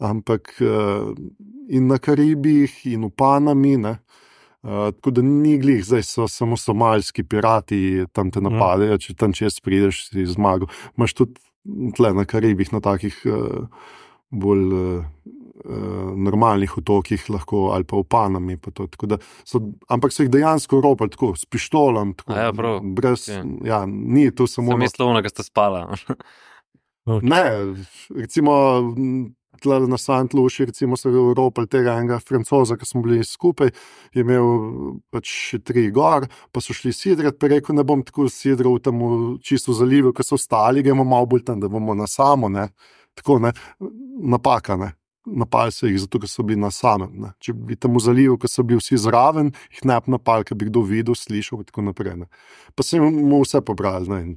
ampak uh, in na Karibih, in v Panami, ne, uh, tako da ni glih, zdaj so samo somalski pirati, tam te napadejo, če tam čez prideš, si zmagal. Imaš tudi tle na Karibih, na takih uh, bolj uh, uh, normalnih otokih lahko, ali pa v Panami, pa to, tako da so, ampak so jih dejansko ropali tako, s pištolom, tako, A ja, prav. brez, Okay. ja, ni to samo... Sem mislil, da ste spala. Ne, recimo tle na Sant Luši, recimo so ropali tega enega Francoza, ki smo bili skupaj, je imel pač še tri gor, pa so šli sidrat, pa rekel, ne bom tako sidral tam v čisto zalivu, ko so ostali, gremo malo bolj tam, da bomo na samo, ne, tako, ne, napaka, ne. Napali so jih, zato ker so bili na samem. Ne. Če bi tam v zalivu, ko so bili vsi zraven, jih ne bi napali, ker bi kdo videl, slišal in tako naprej. Ne. Pa se mu vse pobrali, ne, in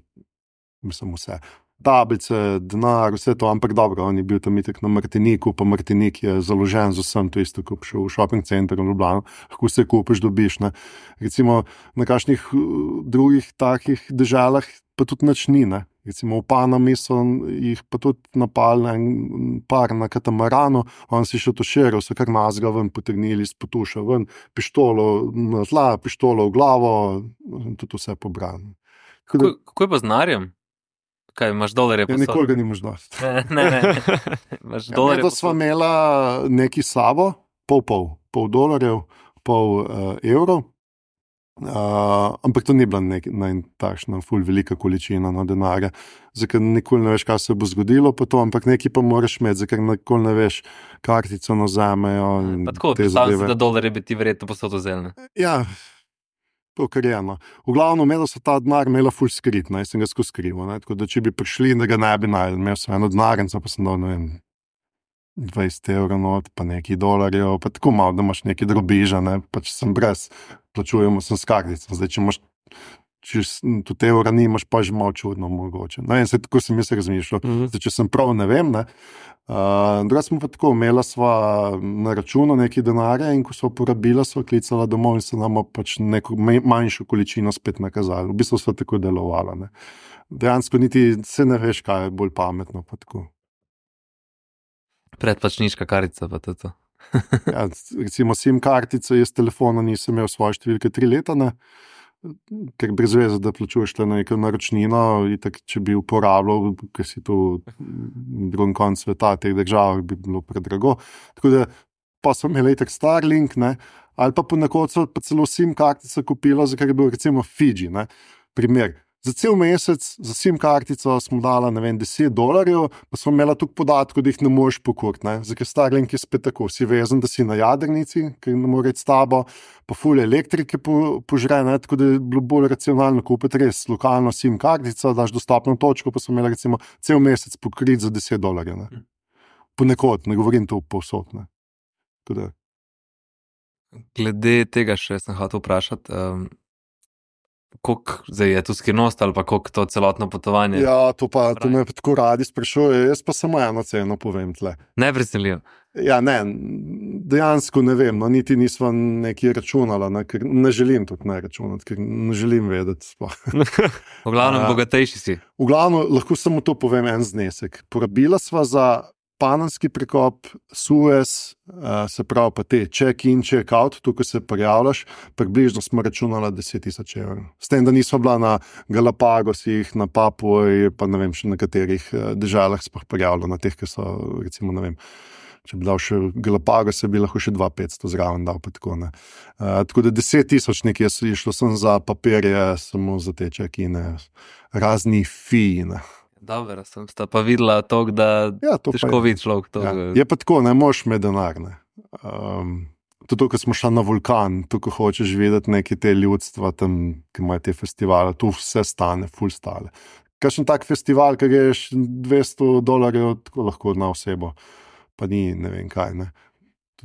mislim vse. Tablice, denar, vse to, ampak dobro, on je bil tam itak na Martiniku, pa Martinik je založen z vsem, to isto, ko šel v shopping center v Ljubljano, lahko vse kupiš, dobiš. Ne. Recimo na kakšnih drugih takih deželah pa tudi nič ni, ne. Recimo v Panami so jih pa tudi napali en par na katamaranu, on si še tošeril, so kar nazga ven potegnili iz potuša ven, pištolo na tla, pištolo v glavo, tudi vse pobrali. Kako, kako je pa z denarjem? Kaj, imaš dolarje? Ja, nikoli ga nimaš dosti. Ne, ne, ne. Imaš dolarje? Ja, to sva imela neki sabo, pol pol, pol dolarjev, pol uh, evrov. Uh, ampak to ni bila nek, ne, takšna ful velika količina no, denarja, zakaj nikoli ne veš, kaj se bo zgodilo pa to, ampak nekaj pa moraš imeti, zakaj nikoli ne veš, kartico nazamejo. Pa tako, predstavljam se, da dolarje bi ti verjetno posod vzel, ne? Ja, to kar je, no. V glavnem, imela so ta denar imela ful skrit, ne, sem ga skozi skrival, ne, tako da če bi prišli, da ga ne bi najel, imel sem eno denarnico, pa sem dal, ne vem, dvajset evrov not, pa nekaj dolarjev, pa tako malo, da imaš nekaj drobiža, ne, pa če sem brez, plačujemo sem s kartico, zdaj, če imaš, če tudi evra nimaš, pa že malo čudno mogoče. No, in se tako sem jaz razmišljal, mm-hmm. zdaj, če sem prav, ne vem, ne, uh, druga smo pa tako, imela sva na računu nekaj denarja in ko sva porabila, sva klicala domov in se nama pač neko manjšo količino spet nakazali. V bistvu sva tako delovala, ne. Dejansko niti se ne veš, kaj je bolj pametno, pa tako. Predplačniška kartica pa to. Ja, recimo SIM kartico, jaz telefona nisem imel svoje številke tri leta, ne, ker brez veze, da plačuješ le na neko naročnino, itak, če bi uporabljal, ker si tu v drugem koncu sveta, teh držav, bi bilo predrago. Tako da, pa sem imel itak Starlink, ne, ali pa ponekod so pa celo SIM kartico kupila, za kar je bil recimo Fiji, ne, primer. Za cel mesec, za SIM kartico smo dala, ne vem, deset dolarjev, pa smo imela tukaj podatkov, da jih ne moreš pokuriti, ne. Zakaj Starlink je spet tako, si vezen, da si na jadrnici, ker ne more iti s tabo, pa ful elektrike po, požre, ne, tako da je bilo bolj racionalno kupiti res lokalno SIM kartico, daš dostopno točko, pa smo imela recimo cel mesec pokriti za deset dolarjev, ne. Ponekod, ne govorim to povsod, ne. Tako da. Glede tega še sem hotel vprašati, um... koliko zdaj je to skrivnost ali pa koliko to celotno potovanje? Ja, to pa to me tako radi sprašuje, jaz pa samo eno ceno povem tle. Ne preseljivo. Ja, ne, dejansko ne vem, no, niti nisva nekaj računala, ne, ker ne želim tudi ne računati, ker ne želim vedeti. V glavnem bogatejši si. V glavnem lahko samo to povem en znesek. Porabila sva za Panamski prekop, Suez, uh, se pravi pa te check-in, check-out, tukaj se prijavljaš, približno smo računala deset tisoč evrov. S tem, da nismo bila na Galapagosih, na Papuji, pa ne vem, še na katerih uh, državah smo prijavljali, na teh, ki so, recimo, ne vem, če bi dal še Galapagos, bi lahko še dva petsto zraven dal, pa tako, ne. Uh, tako da deset tisoč nekje so išlo, sem za papirje, samo za te check-ine, razni fiji, ne. Dobro, sem sta pa videla to, da ja, to težko vidi človek. To, ja. Je pa tako, ne moš me denar, ne. Um, tudi, ko smo šli na vulkan, tu, ko hočeš videti neke te ljudstva tam, ki imajo te festivale, tu vse stane, ful stale. Kakšen tak festival, ki greš dvesto dolarjev, tako lahko na osebo, pa ni, ne vem kaj, ne.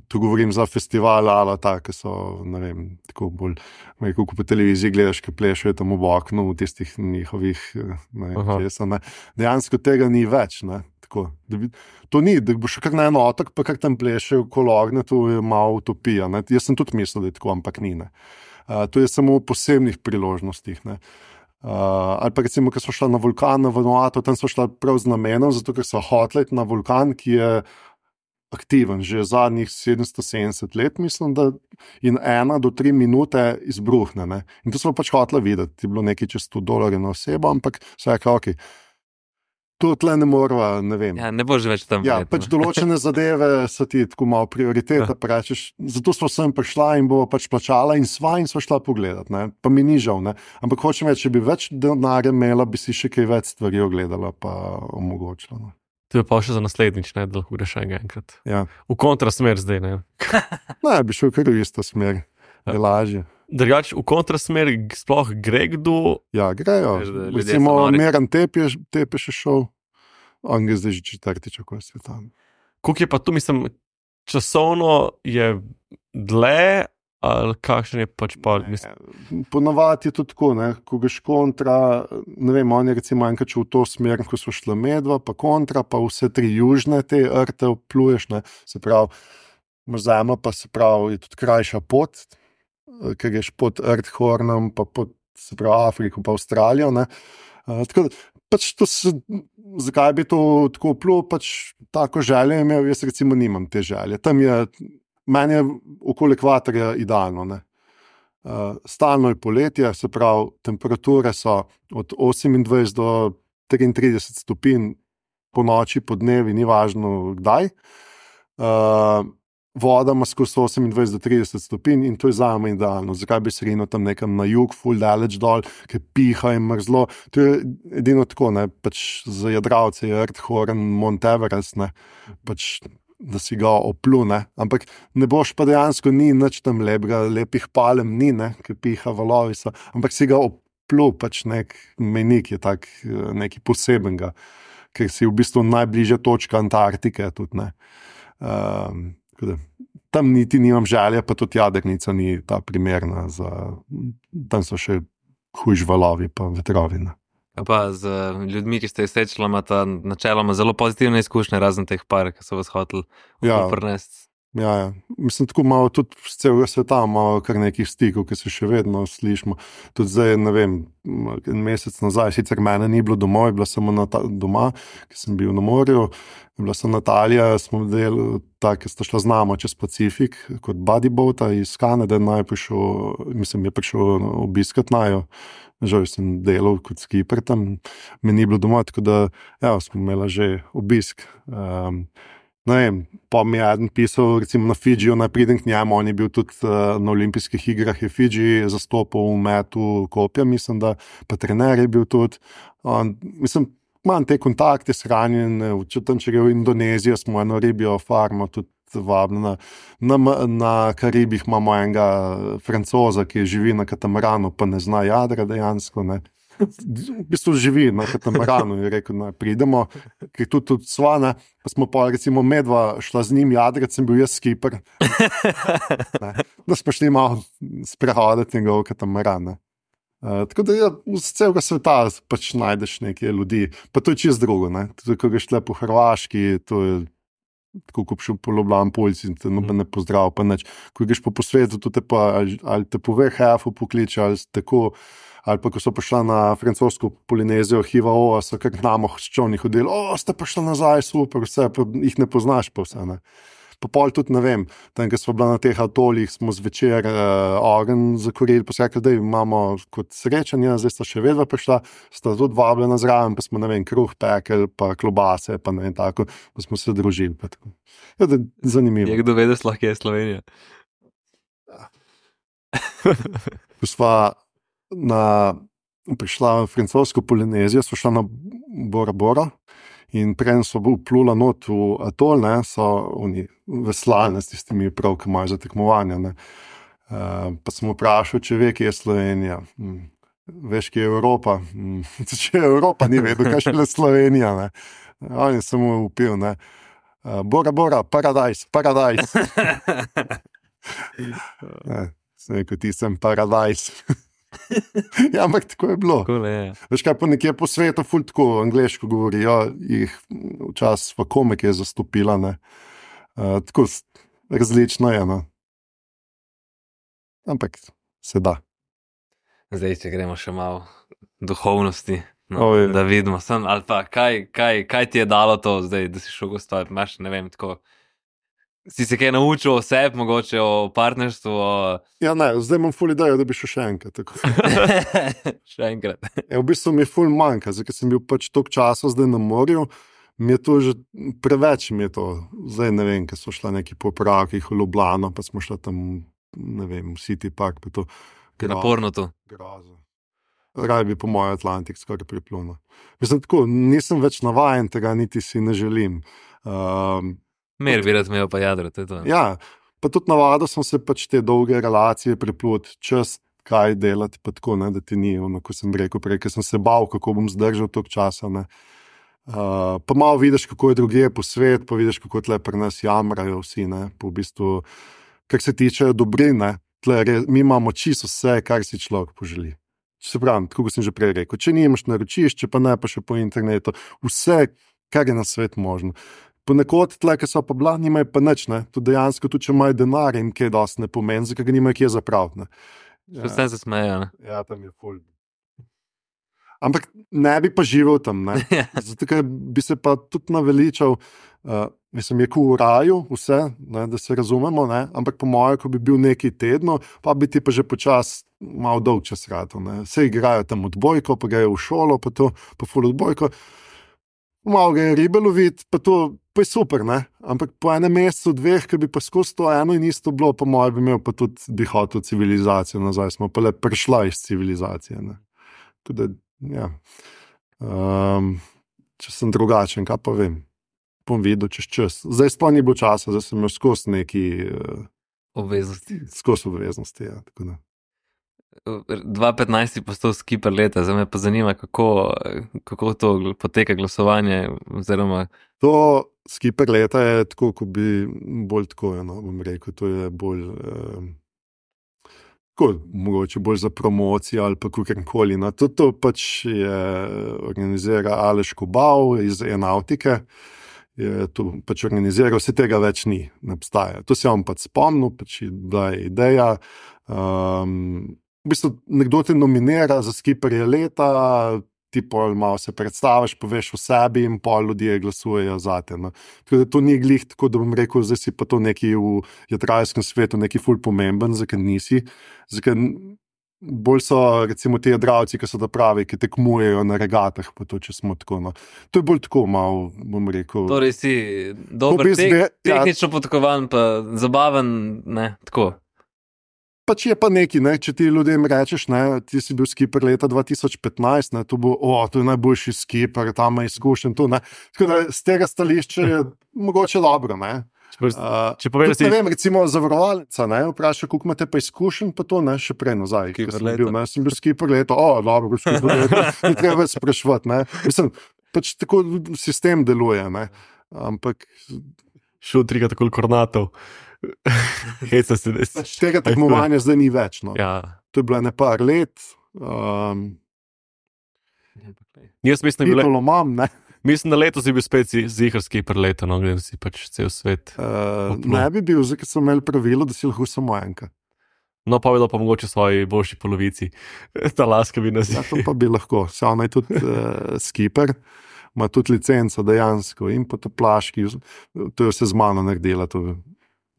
Tu govorim za festival, ali ta, ki so, ne vem, tako bolj, rekel, ko po televiziji gledaš, ki plešajo tam v oknu, v tistih njihovih, ne vem, česa, ne. Dejansko tega ni več, ne, tako. Da bi, to ni, da boš kar na en otok, pa kar tam plešajo okolo ognja, to je malo utopija, ne. Jaz sem tudi mislil, da je tako, ampak ni, ne. Uh, to je samo v posebnih priložnostih. Ne. Uh, ali pa recimo, ko smo šli na vulkan na Vanuatu, tam smo šli prav z namenom, zato ker so hoteli na vulkan, ki je aktiven že zadnjih sedemsto sedemdeset let, mislim, da in ena do tri minute izbruhne. Ne. In to smo pač hoteli videti, je bilo nekaj čez sto dolarjev na osebo, ampak vse je ok. To tle ne morava, ne vem. Ja, ne boš več tam. Ja, let, pač določene zadeve so ti tako malo prioriteta, Ja. pa rečeš, zato smo sem prišla in bova pač plačala in sva in sva šla pogledat, ne, pa mi ni žal, ne, ampak hočem reči, če bi več denarja imela, bi si še kaj več stvari ogledala pa omogočila, no. To je pa še za naslednjič, ne, da lahko greš še enkrat. Ja, V kontrasmer zdaj, ne. ne, bi šel kar v isto smer, je lažje. Drugač, v kontrasmer g- sploh gre kdo, Ja, grejo, Veš, da ljudje recimo so nori. Meran Tep je, Tep je še šel, on je zdaj že četrtič okoli sveta. koliko je pa tu, mislim, časovno je dlje, ali kakšen je pač pa, mislim, Ponavadi je to tako, ne, ko greš kontra, ne vem, on je recimo enkrat šel v to smer, ko so šla medva, pa kontra, pa vse tri južne te rte opluješ, ne, se pravi, imaš zemljo, pa se pravi, je tudi krajša pot, eh, ker greš pod Earthhornom, pa pod, se pravi, Afriko, pa Avstralijo, ne. Uh, tako da, pač to se, zakaj bi to tako plul, pač tako željo imel, jaz recimo nimam te želje. Tam je, meni je okoli ekvatorja idealno, ne. Uh, stalno je poletje, se pravi, temperature so od osemindvajset do triintrideset stopinj po noči, po dnevi, ni važno kdaj. Uh, voda ima skozi osemindvajset do trideset stopinj in to je zame idealno. Zakaj bi se rinil tam nekam na jug, ful daleč dol, ker piha in mrzlo. To je edino tako, ne, pač za jadralce je Earthhorn, Mount Everest, ne, pač da si ga oplu, ne. Ampak ne boš pa dejansko ni nič tam lepega, lepih palem ni, ne, ker piha valovi so, ampak si ga oplu, pač nek menik je tak, eh, nekaj posebenega, ker si v bistvu najbližja točka Antarktike tudi, ne. Um, tako da, tam niti nimam želje, pa tudi jadrnica ni ta primerna za, tam so še hujš valovi pa vetrovi, ne. A pa z eh, ljudmi, ki ste jih srečali, imata načeloma zelo pozitivne izkušnje, razen teh par, ki so vas hoteli Ja. prinesti. Ja, ja. Mislim, tako malo tudi z celega sveta, malo kar nekih stikov, ki se še vedno slišimo. Tudi zdaj, ne vem, en mesec nazaj, sicer mene ni bilo domov, bila sem na ta, doma, ker sem bil na morju, bila sem Natalija, smo delali tako, ker sta šla z namo čez Pacifik, kot bodyboata iz Kanade, naj prišel, mislim, je prišel obiskat najo, žal sem delal kot skipper tam, me ni bilo doma, tako da, ja, smo imela že obisk. Um, Ne vem, pa mi je eden pisal, recimo na Fidžiju, naj pridem k njemu, on je bil tudi uh, na olimpijskih igrah, je Fidži zastopal v metu kopja, mislim, da pa trener je bil tudi. On, mislim, imam te kontakte shranjene, če tam če gre v Indonezijo, smo eno ribijo farmo tudi vabljena. Na, na Karibih imamo enega Francoza, ki živi na katamaranu, pa ne zna jadra dejansko, ne. V bistvu živi na katamaranu in je rekel, da pridemo, ker tudi, tudi sva, ne, pa smo pa recimo medva šla z njim jadrat, sem bil jaz skipper. Ne, da smo šli malo sprehoditi njegov katamaran. Ne. Uh, tako da ja, z celega sveta pač najdeš neke ljudi, pa to je čisto drugo, ne. Tudi, ko greš tle po Hrvaški, to je tako, ko šel po Ljubljani Poljci in te noben ne pozdrav, pa nič. Ko greš po, po svetu, to te pa ali, ali te po V H F-u pokliče, ali tako, ali pa ko so prišla na francosko Polinezijo, Hivao, so kar k namo s čovni hodili, o, ste prišli nazaj, super, vse, pa jih ne poznaš pa vse, ne. Pa pol tudi, ne vem, tam, ko smo bila na teh atolih, smo zvečer uh, ogenj zakorili, pa so rekli, da imamo kot srečanje, zdaj sta še vedno prišla, sta tudi vabljena zraven, pa smo, ne vem, kruh pekel, pa klobase, pa ne vem, tako, pa smo se družili, pa tako. Ja, da, zanimivo. Je kdo vedel, sploh kje je Slovenija? Ko sva na, prišla v francosko Polinezijo, sva šla na Bora Bora in prej so vplula not v atol, ne, so oni veslali s tistimi prav, ki imajo za tekmovanja, ne. Uh, pa sem vprašal, če ve, kje je Slovenija. Hm. Veš, kje je Evropa? Hm. Če je Evropa, ni vedel, kaj še le Slovenija, ne. On je samo upil, ne. Uh, Bora Bora, paradajs, paradajs. Ne, sem rekel, ti sem paradajs. Ja, ampak tako je bilo. Cool, je. Veš kaj, pa nekje po svetu ful tako angleško govorijo, jih včasih v komik je zastopila, ne. Uh, tako s- različno je, no. Ampak se da. Zdaj, če gremo še malo duhovnosti, no, O, je. da vidimo, sem, ali pa kaj, kaj, kaj ti je dalo to zdaj, da si šel gostovati, imaš, ne vem, tako, si se kaj naučil o sebi, mogoče o partnerstvu, o... Ja, ne, zdaj imam ful idejo, da bi šel še enkrat. Tako. še enkrat. Ja, v bistvu mi je ful manjka, zdaj, ker sem bil pač toliko časa zdaj na morju, mi je to že preveč, mi je to. Zdaj ne vem, ker so šla neki popravki v Ljubljano, pa smo šla tam, ne vem, v City Park, pa to. Naporno to. Grozo. Raj bi po mojem Atlantik skoraj priplunil. Mislim, tako, nisem več navajen tega, niti si ne želim. Um, Mer bi rad imel pa jadro, to je to. ja, pa tudi navadil sem se pač te dolge relacije priplut, čas kaj delati, pa tako, ne, da ti ni, ono, ko sem rekel prej, ker sem se bal, kako bom zdržal toliko časa, ne. Uh, pa malo vidiš, kako je drugje po svet, pa vidiš, kako tle pri nas jamrajo vsi, ne, po v bistvu, kar se tiče dobrine, tle, re, mi imamo čisto vse, kar si človek poželi. Se pravi, tako kot sem že prej rekel, če nimaš naročišče, pa ne pa še po internetu, vse, kar je na svet možno. Ponekod tle, ki so pa bila, nimajo pa nič, ne, to dejansko, tudi če imajo denar, jim kaj dosti ne pomeni, zakaj ga nimajo kje zapraviti, ne. Ja. Vse se smejo, ne? Ja, tam je ful. Ampak ne bi pa živel tam, ne. Zato, ker bi se pa tudi naveličal, uh, mislim, je v raju vse, ne, da se razumemo, ne, ampak po mojem, ko bi bil neki tedno, pa bi ti pa že počas malo dolg čas ratal, ne. Vse igrajo tam odbojko, pa grejo v šolo, pa to, pa ful odbojko. Malo ga je ribe loviti, pa to, pa je super, ne. Ampak po enem mesecu, dveh, ki bi pa skozi to eno in isto bilo, po mojem bi imel pa tudi bi hotel civilizacijo nazaj, smo pa le prišla iz civilizacije, ne. Tudi, ja. Um, če sem drugačen, kaj pa vem, bom videl čez čas. Zdaj sploh ni bilo časa, zdaj sem imel skozi neki uh, Obveznosti. skozi obveznosti, ja, tako da. dva petnajst je postal skipper leta, zdaj me pa zanima, kako, kako to poteka glasovanje, oziroma... To skipper leta je tako, ko bi bolj tako, no, bom rekel, to je bolj, eh, tako, mogoče bolj za promocijo ali pa kakorkoli. No. To, to pač je organizira Aleš Kobal iz Enautike, je to pač organiziral, vse tega več ni, ne obstaja. To se vam pač spomnil, pač je bila ideja, um, v bistvu nekdo te nominira za skipperje leta, ti pol malo se predstaviš, poveš o sebi in pol ljudje glasujejo zate. No. Tako da to ni glih, tako da bom rekel, zdaj si pa to neki v jadralskem svetu neki ful pomemben, zakaj nisi, zakaj bolj so recimo ti jadralci, ki so da pravi, ki tekmujejo na regatah, pa to, če smo tako, no. To je bolj tako malo, bom rekel... Torej si dober, bi tek, zve- ja. tehnično podkovan, pa zabaven, ne, tako. Pač je pa neki, ne, če ti ljudem rečeš, ne, ti si bil skipper leta dva tisoč petnajst, ne, to bo, o, to je najboljši skipper, tam je izkušen, to, ne. Tako da z tega stališča je mogoče dobro, ne. Če, Uh, če poveš, da tudi, si... ne vem, recimo zavarovalnica, ne, vpraša, koliko imate pa izkušen, pa to, ne, še prej nazaj, ko Skipper sem leta. bil, ne, sem bil skipper leta, o, dobro, skipper leta, ne treba spraševati, ne. Mislim, pač tako sistem deluje, ne, ampak Šel trikrat tako kornatov. Heca se des. pač tega tekmovanja zdaj ni več, no. Ja. To je bilo ne par let, um, Jaz mislim, da je bilo- titulo imam, ne. mislim, da letos je bil spet zi- ziherski preleto, no, gledam si pač cel svet. Uh, Upno. ne bi bil, zdaj, ker so imeli pravilo, da si lahko samo enka. No, povedal pa mogoče svoji boljši polovici. Ta laska bi nas Ja, to pa bi lahko. Se ona je tudi uh, skipper, ima tudi licenco dejansko in po taplaški, to je vse z mano naredila, to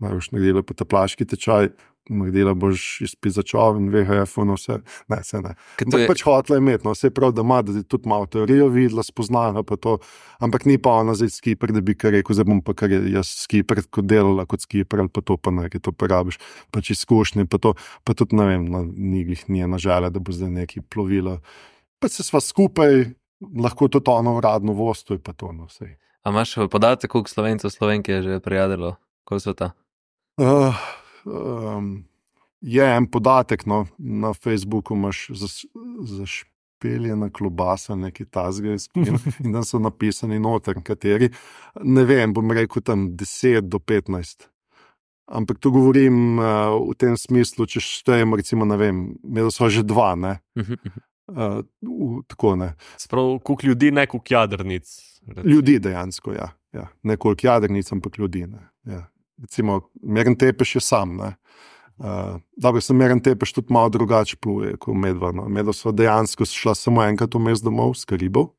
najboš naredila po taplaški tečaj, naredila boš izpit za čovn, V H F, no vse, ne, vse ne. Ker to Ampak je, pač hotla imeti, no, vse prav, da ima, da je tudi malo teorijo videla, spoznala pa to, ampak ni pa ona zdaj skipper, da bi kar rekel, zdaj bom pa kar je jaz skipper, kot delala kot skipper, ali pa to pa ne, ki to porabiš, pač izkušnje, pa to, pa tudi ne vem, no, ni jih nije nažale, da bo zdaj neki plovilo. Pa se sva skupaj, lahko tudi ono uradno vosto je pa to, no, vse. a imaš podatek, koliko Slovencev Slovenke je že prijadilo, koliko so ta? Uh, um, je en podatek, no, na Facebooku imaš zas- zašpeljena klobasa, nekaj tazga in, in tam so napisani noter, kateri, ne vem, bom rekel tam deset do petnajst. Ampak to govorim uh, v tem smislu, če štejem, recimo, ne vem, imeli so že dva, ne, uh, v, tako ne. Sprav, koliko ljudi, ne koliko jadrnic. Ljudi dejansko, ja. ja. Ne koliko jadrnic, ampak ljudi. Ne. Ja. Recimo, Meren Tepeš je sam, ne. Uh, dobro, sem meren tepeš tudi malo drugače pluje kot medva. No. Medva so dejansko šla samo enkrat vmes domov s Karibov.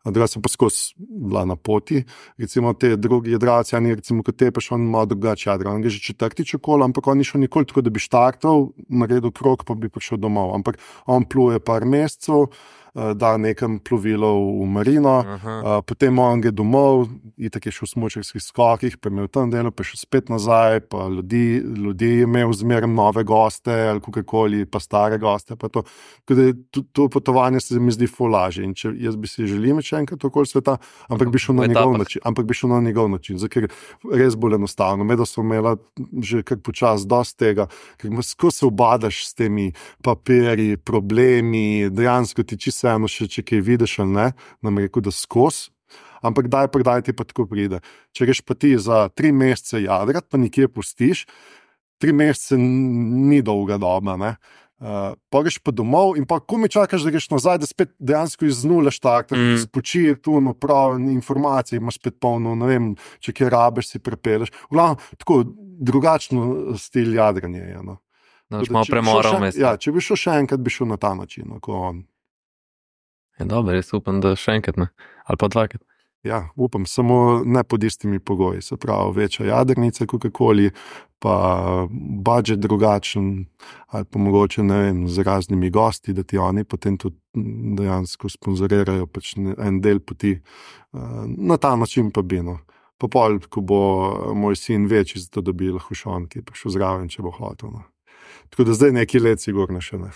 Druga sem pa skozi bila na poti. Recimo te drugi jadralci, ani recimo kot tepeš, on malo drugače jadra. On gre že četrtič okolo, ampak on ni šel nikoli tako, da bi štartal, naredil krog, pa bi prišel domov. Ampak on pluje par mesecev, da nekam plovilo v marino, uh, potem on gre domov, itak je šel v smučarskih skokih, pa je imel tam delo, pa je šel spet nazaj, pa ljudi, ljudi je imel zmeraj nove goste ali kakorkoli, pa stare goste. Pa to. To, to potovanje se mi zdi ful lažje. In če jaz bi si želel še enkrat okoli sveta, ampak bi šel na njegov način, ampak bi šel na njegov način, zato ker res bolj enostavno. Medva so imela že kar počas dosti tega, ker skozi se obadaš s temi papirji, problemi, dejansko ti čisto eno še, če kaj vidiš ali ne, nam rekel, da skozi, ampak daj prodaj ti pa tako pride. Če greš pa ti za tri mesece jadrat, pa nikje pustiš, tri mesece ni dolga doba, ne. Uh, pa greš pa domov in pa ko mi čakaš, da greš nazaj, da spet dejansko iz nule štartaš, mm. spočije tu naprav informacije, imaš spet polno, ne vem, če kje rabeš, si prepeleš. V glavnem, tako drugačno stil jadranja je, no. No, malo premora vmes. Ja, če bi šel še enkrat, bi šel na ta način, no, ko on. Je dobro, jaz upam, da še enkrat ne, ali pa dvakrat. Ja, upam, samo ne pod istimi pogoji, se pravi, večja jadrnica, kakokoli, pa budžet drugačen, ali pa mogoče, ne vem, z raznimi gosti, da ti oni potem tudi dejansko sponzorirajo pač en del poti. Na ta način pa bi, no. Pa pol, ko bo moj sin večji, zato da bi lahko šel on, ki je prišel zraven, če bo hotel, no. Tako da zdaj neki let sigurno še ne.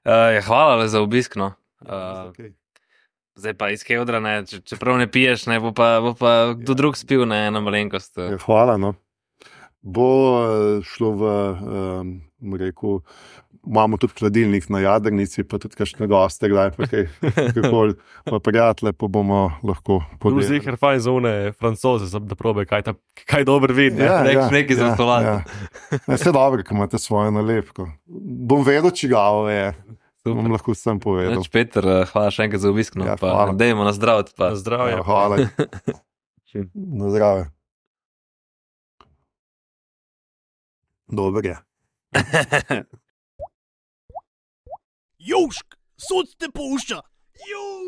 Uh, hvala za obisk, no. Uh, okay. Zdaj pa iz Keodra, ne, če, čeprav ne piješ, ne, bo pa, bo pa kdo drug spil, ne, ena malenkost. Ja, hvala, no. Bo šlo v, um, rekel, imamo tudi hladilnik na jadrnici, pa tudi kakšne goste, kdaj pa kaj, kakoli, pa prijatelje, pa bomo lahko podelili. Tu zihar fajn za une Francoze, da probe, kaj, ta, kaj dober vidi. Ja, ne? ja, nekaj za stolati. Ja. Ja. Vse dobro, ko imate svojo nalepko. Bom vedel, čigavo je. Super. Bom lahko sem povedal. Neč, Peter, hvala še enkrat za obisk, no, ja, pa dejmo na zdravje. Na zdravje. Ja, hvala. Na zdravje. Dober je. Južk, sod te pušča. Južk.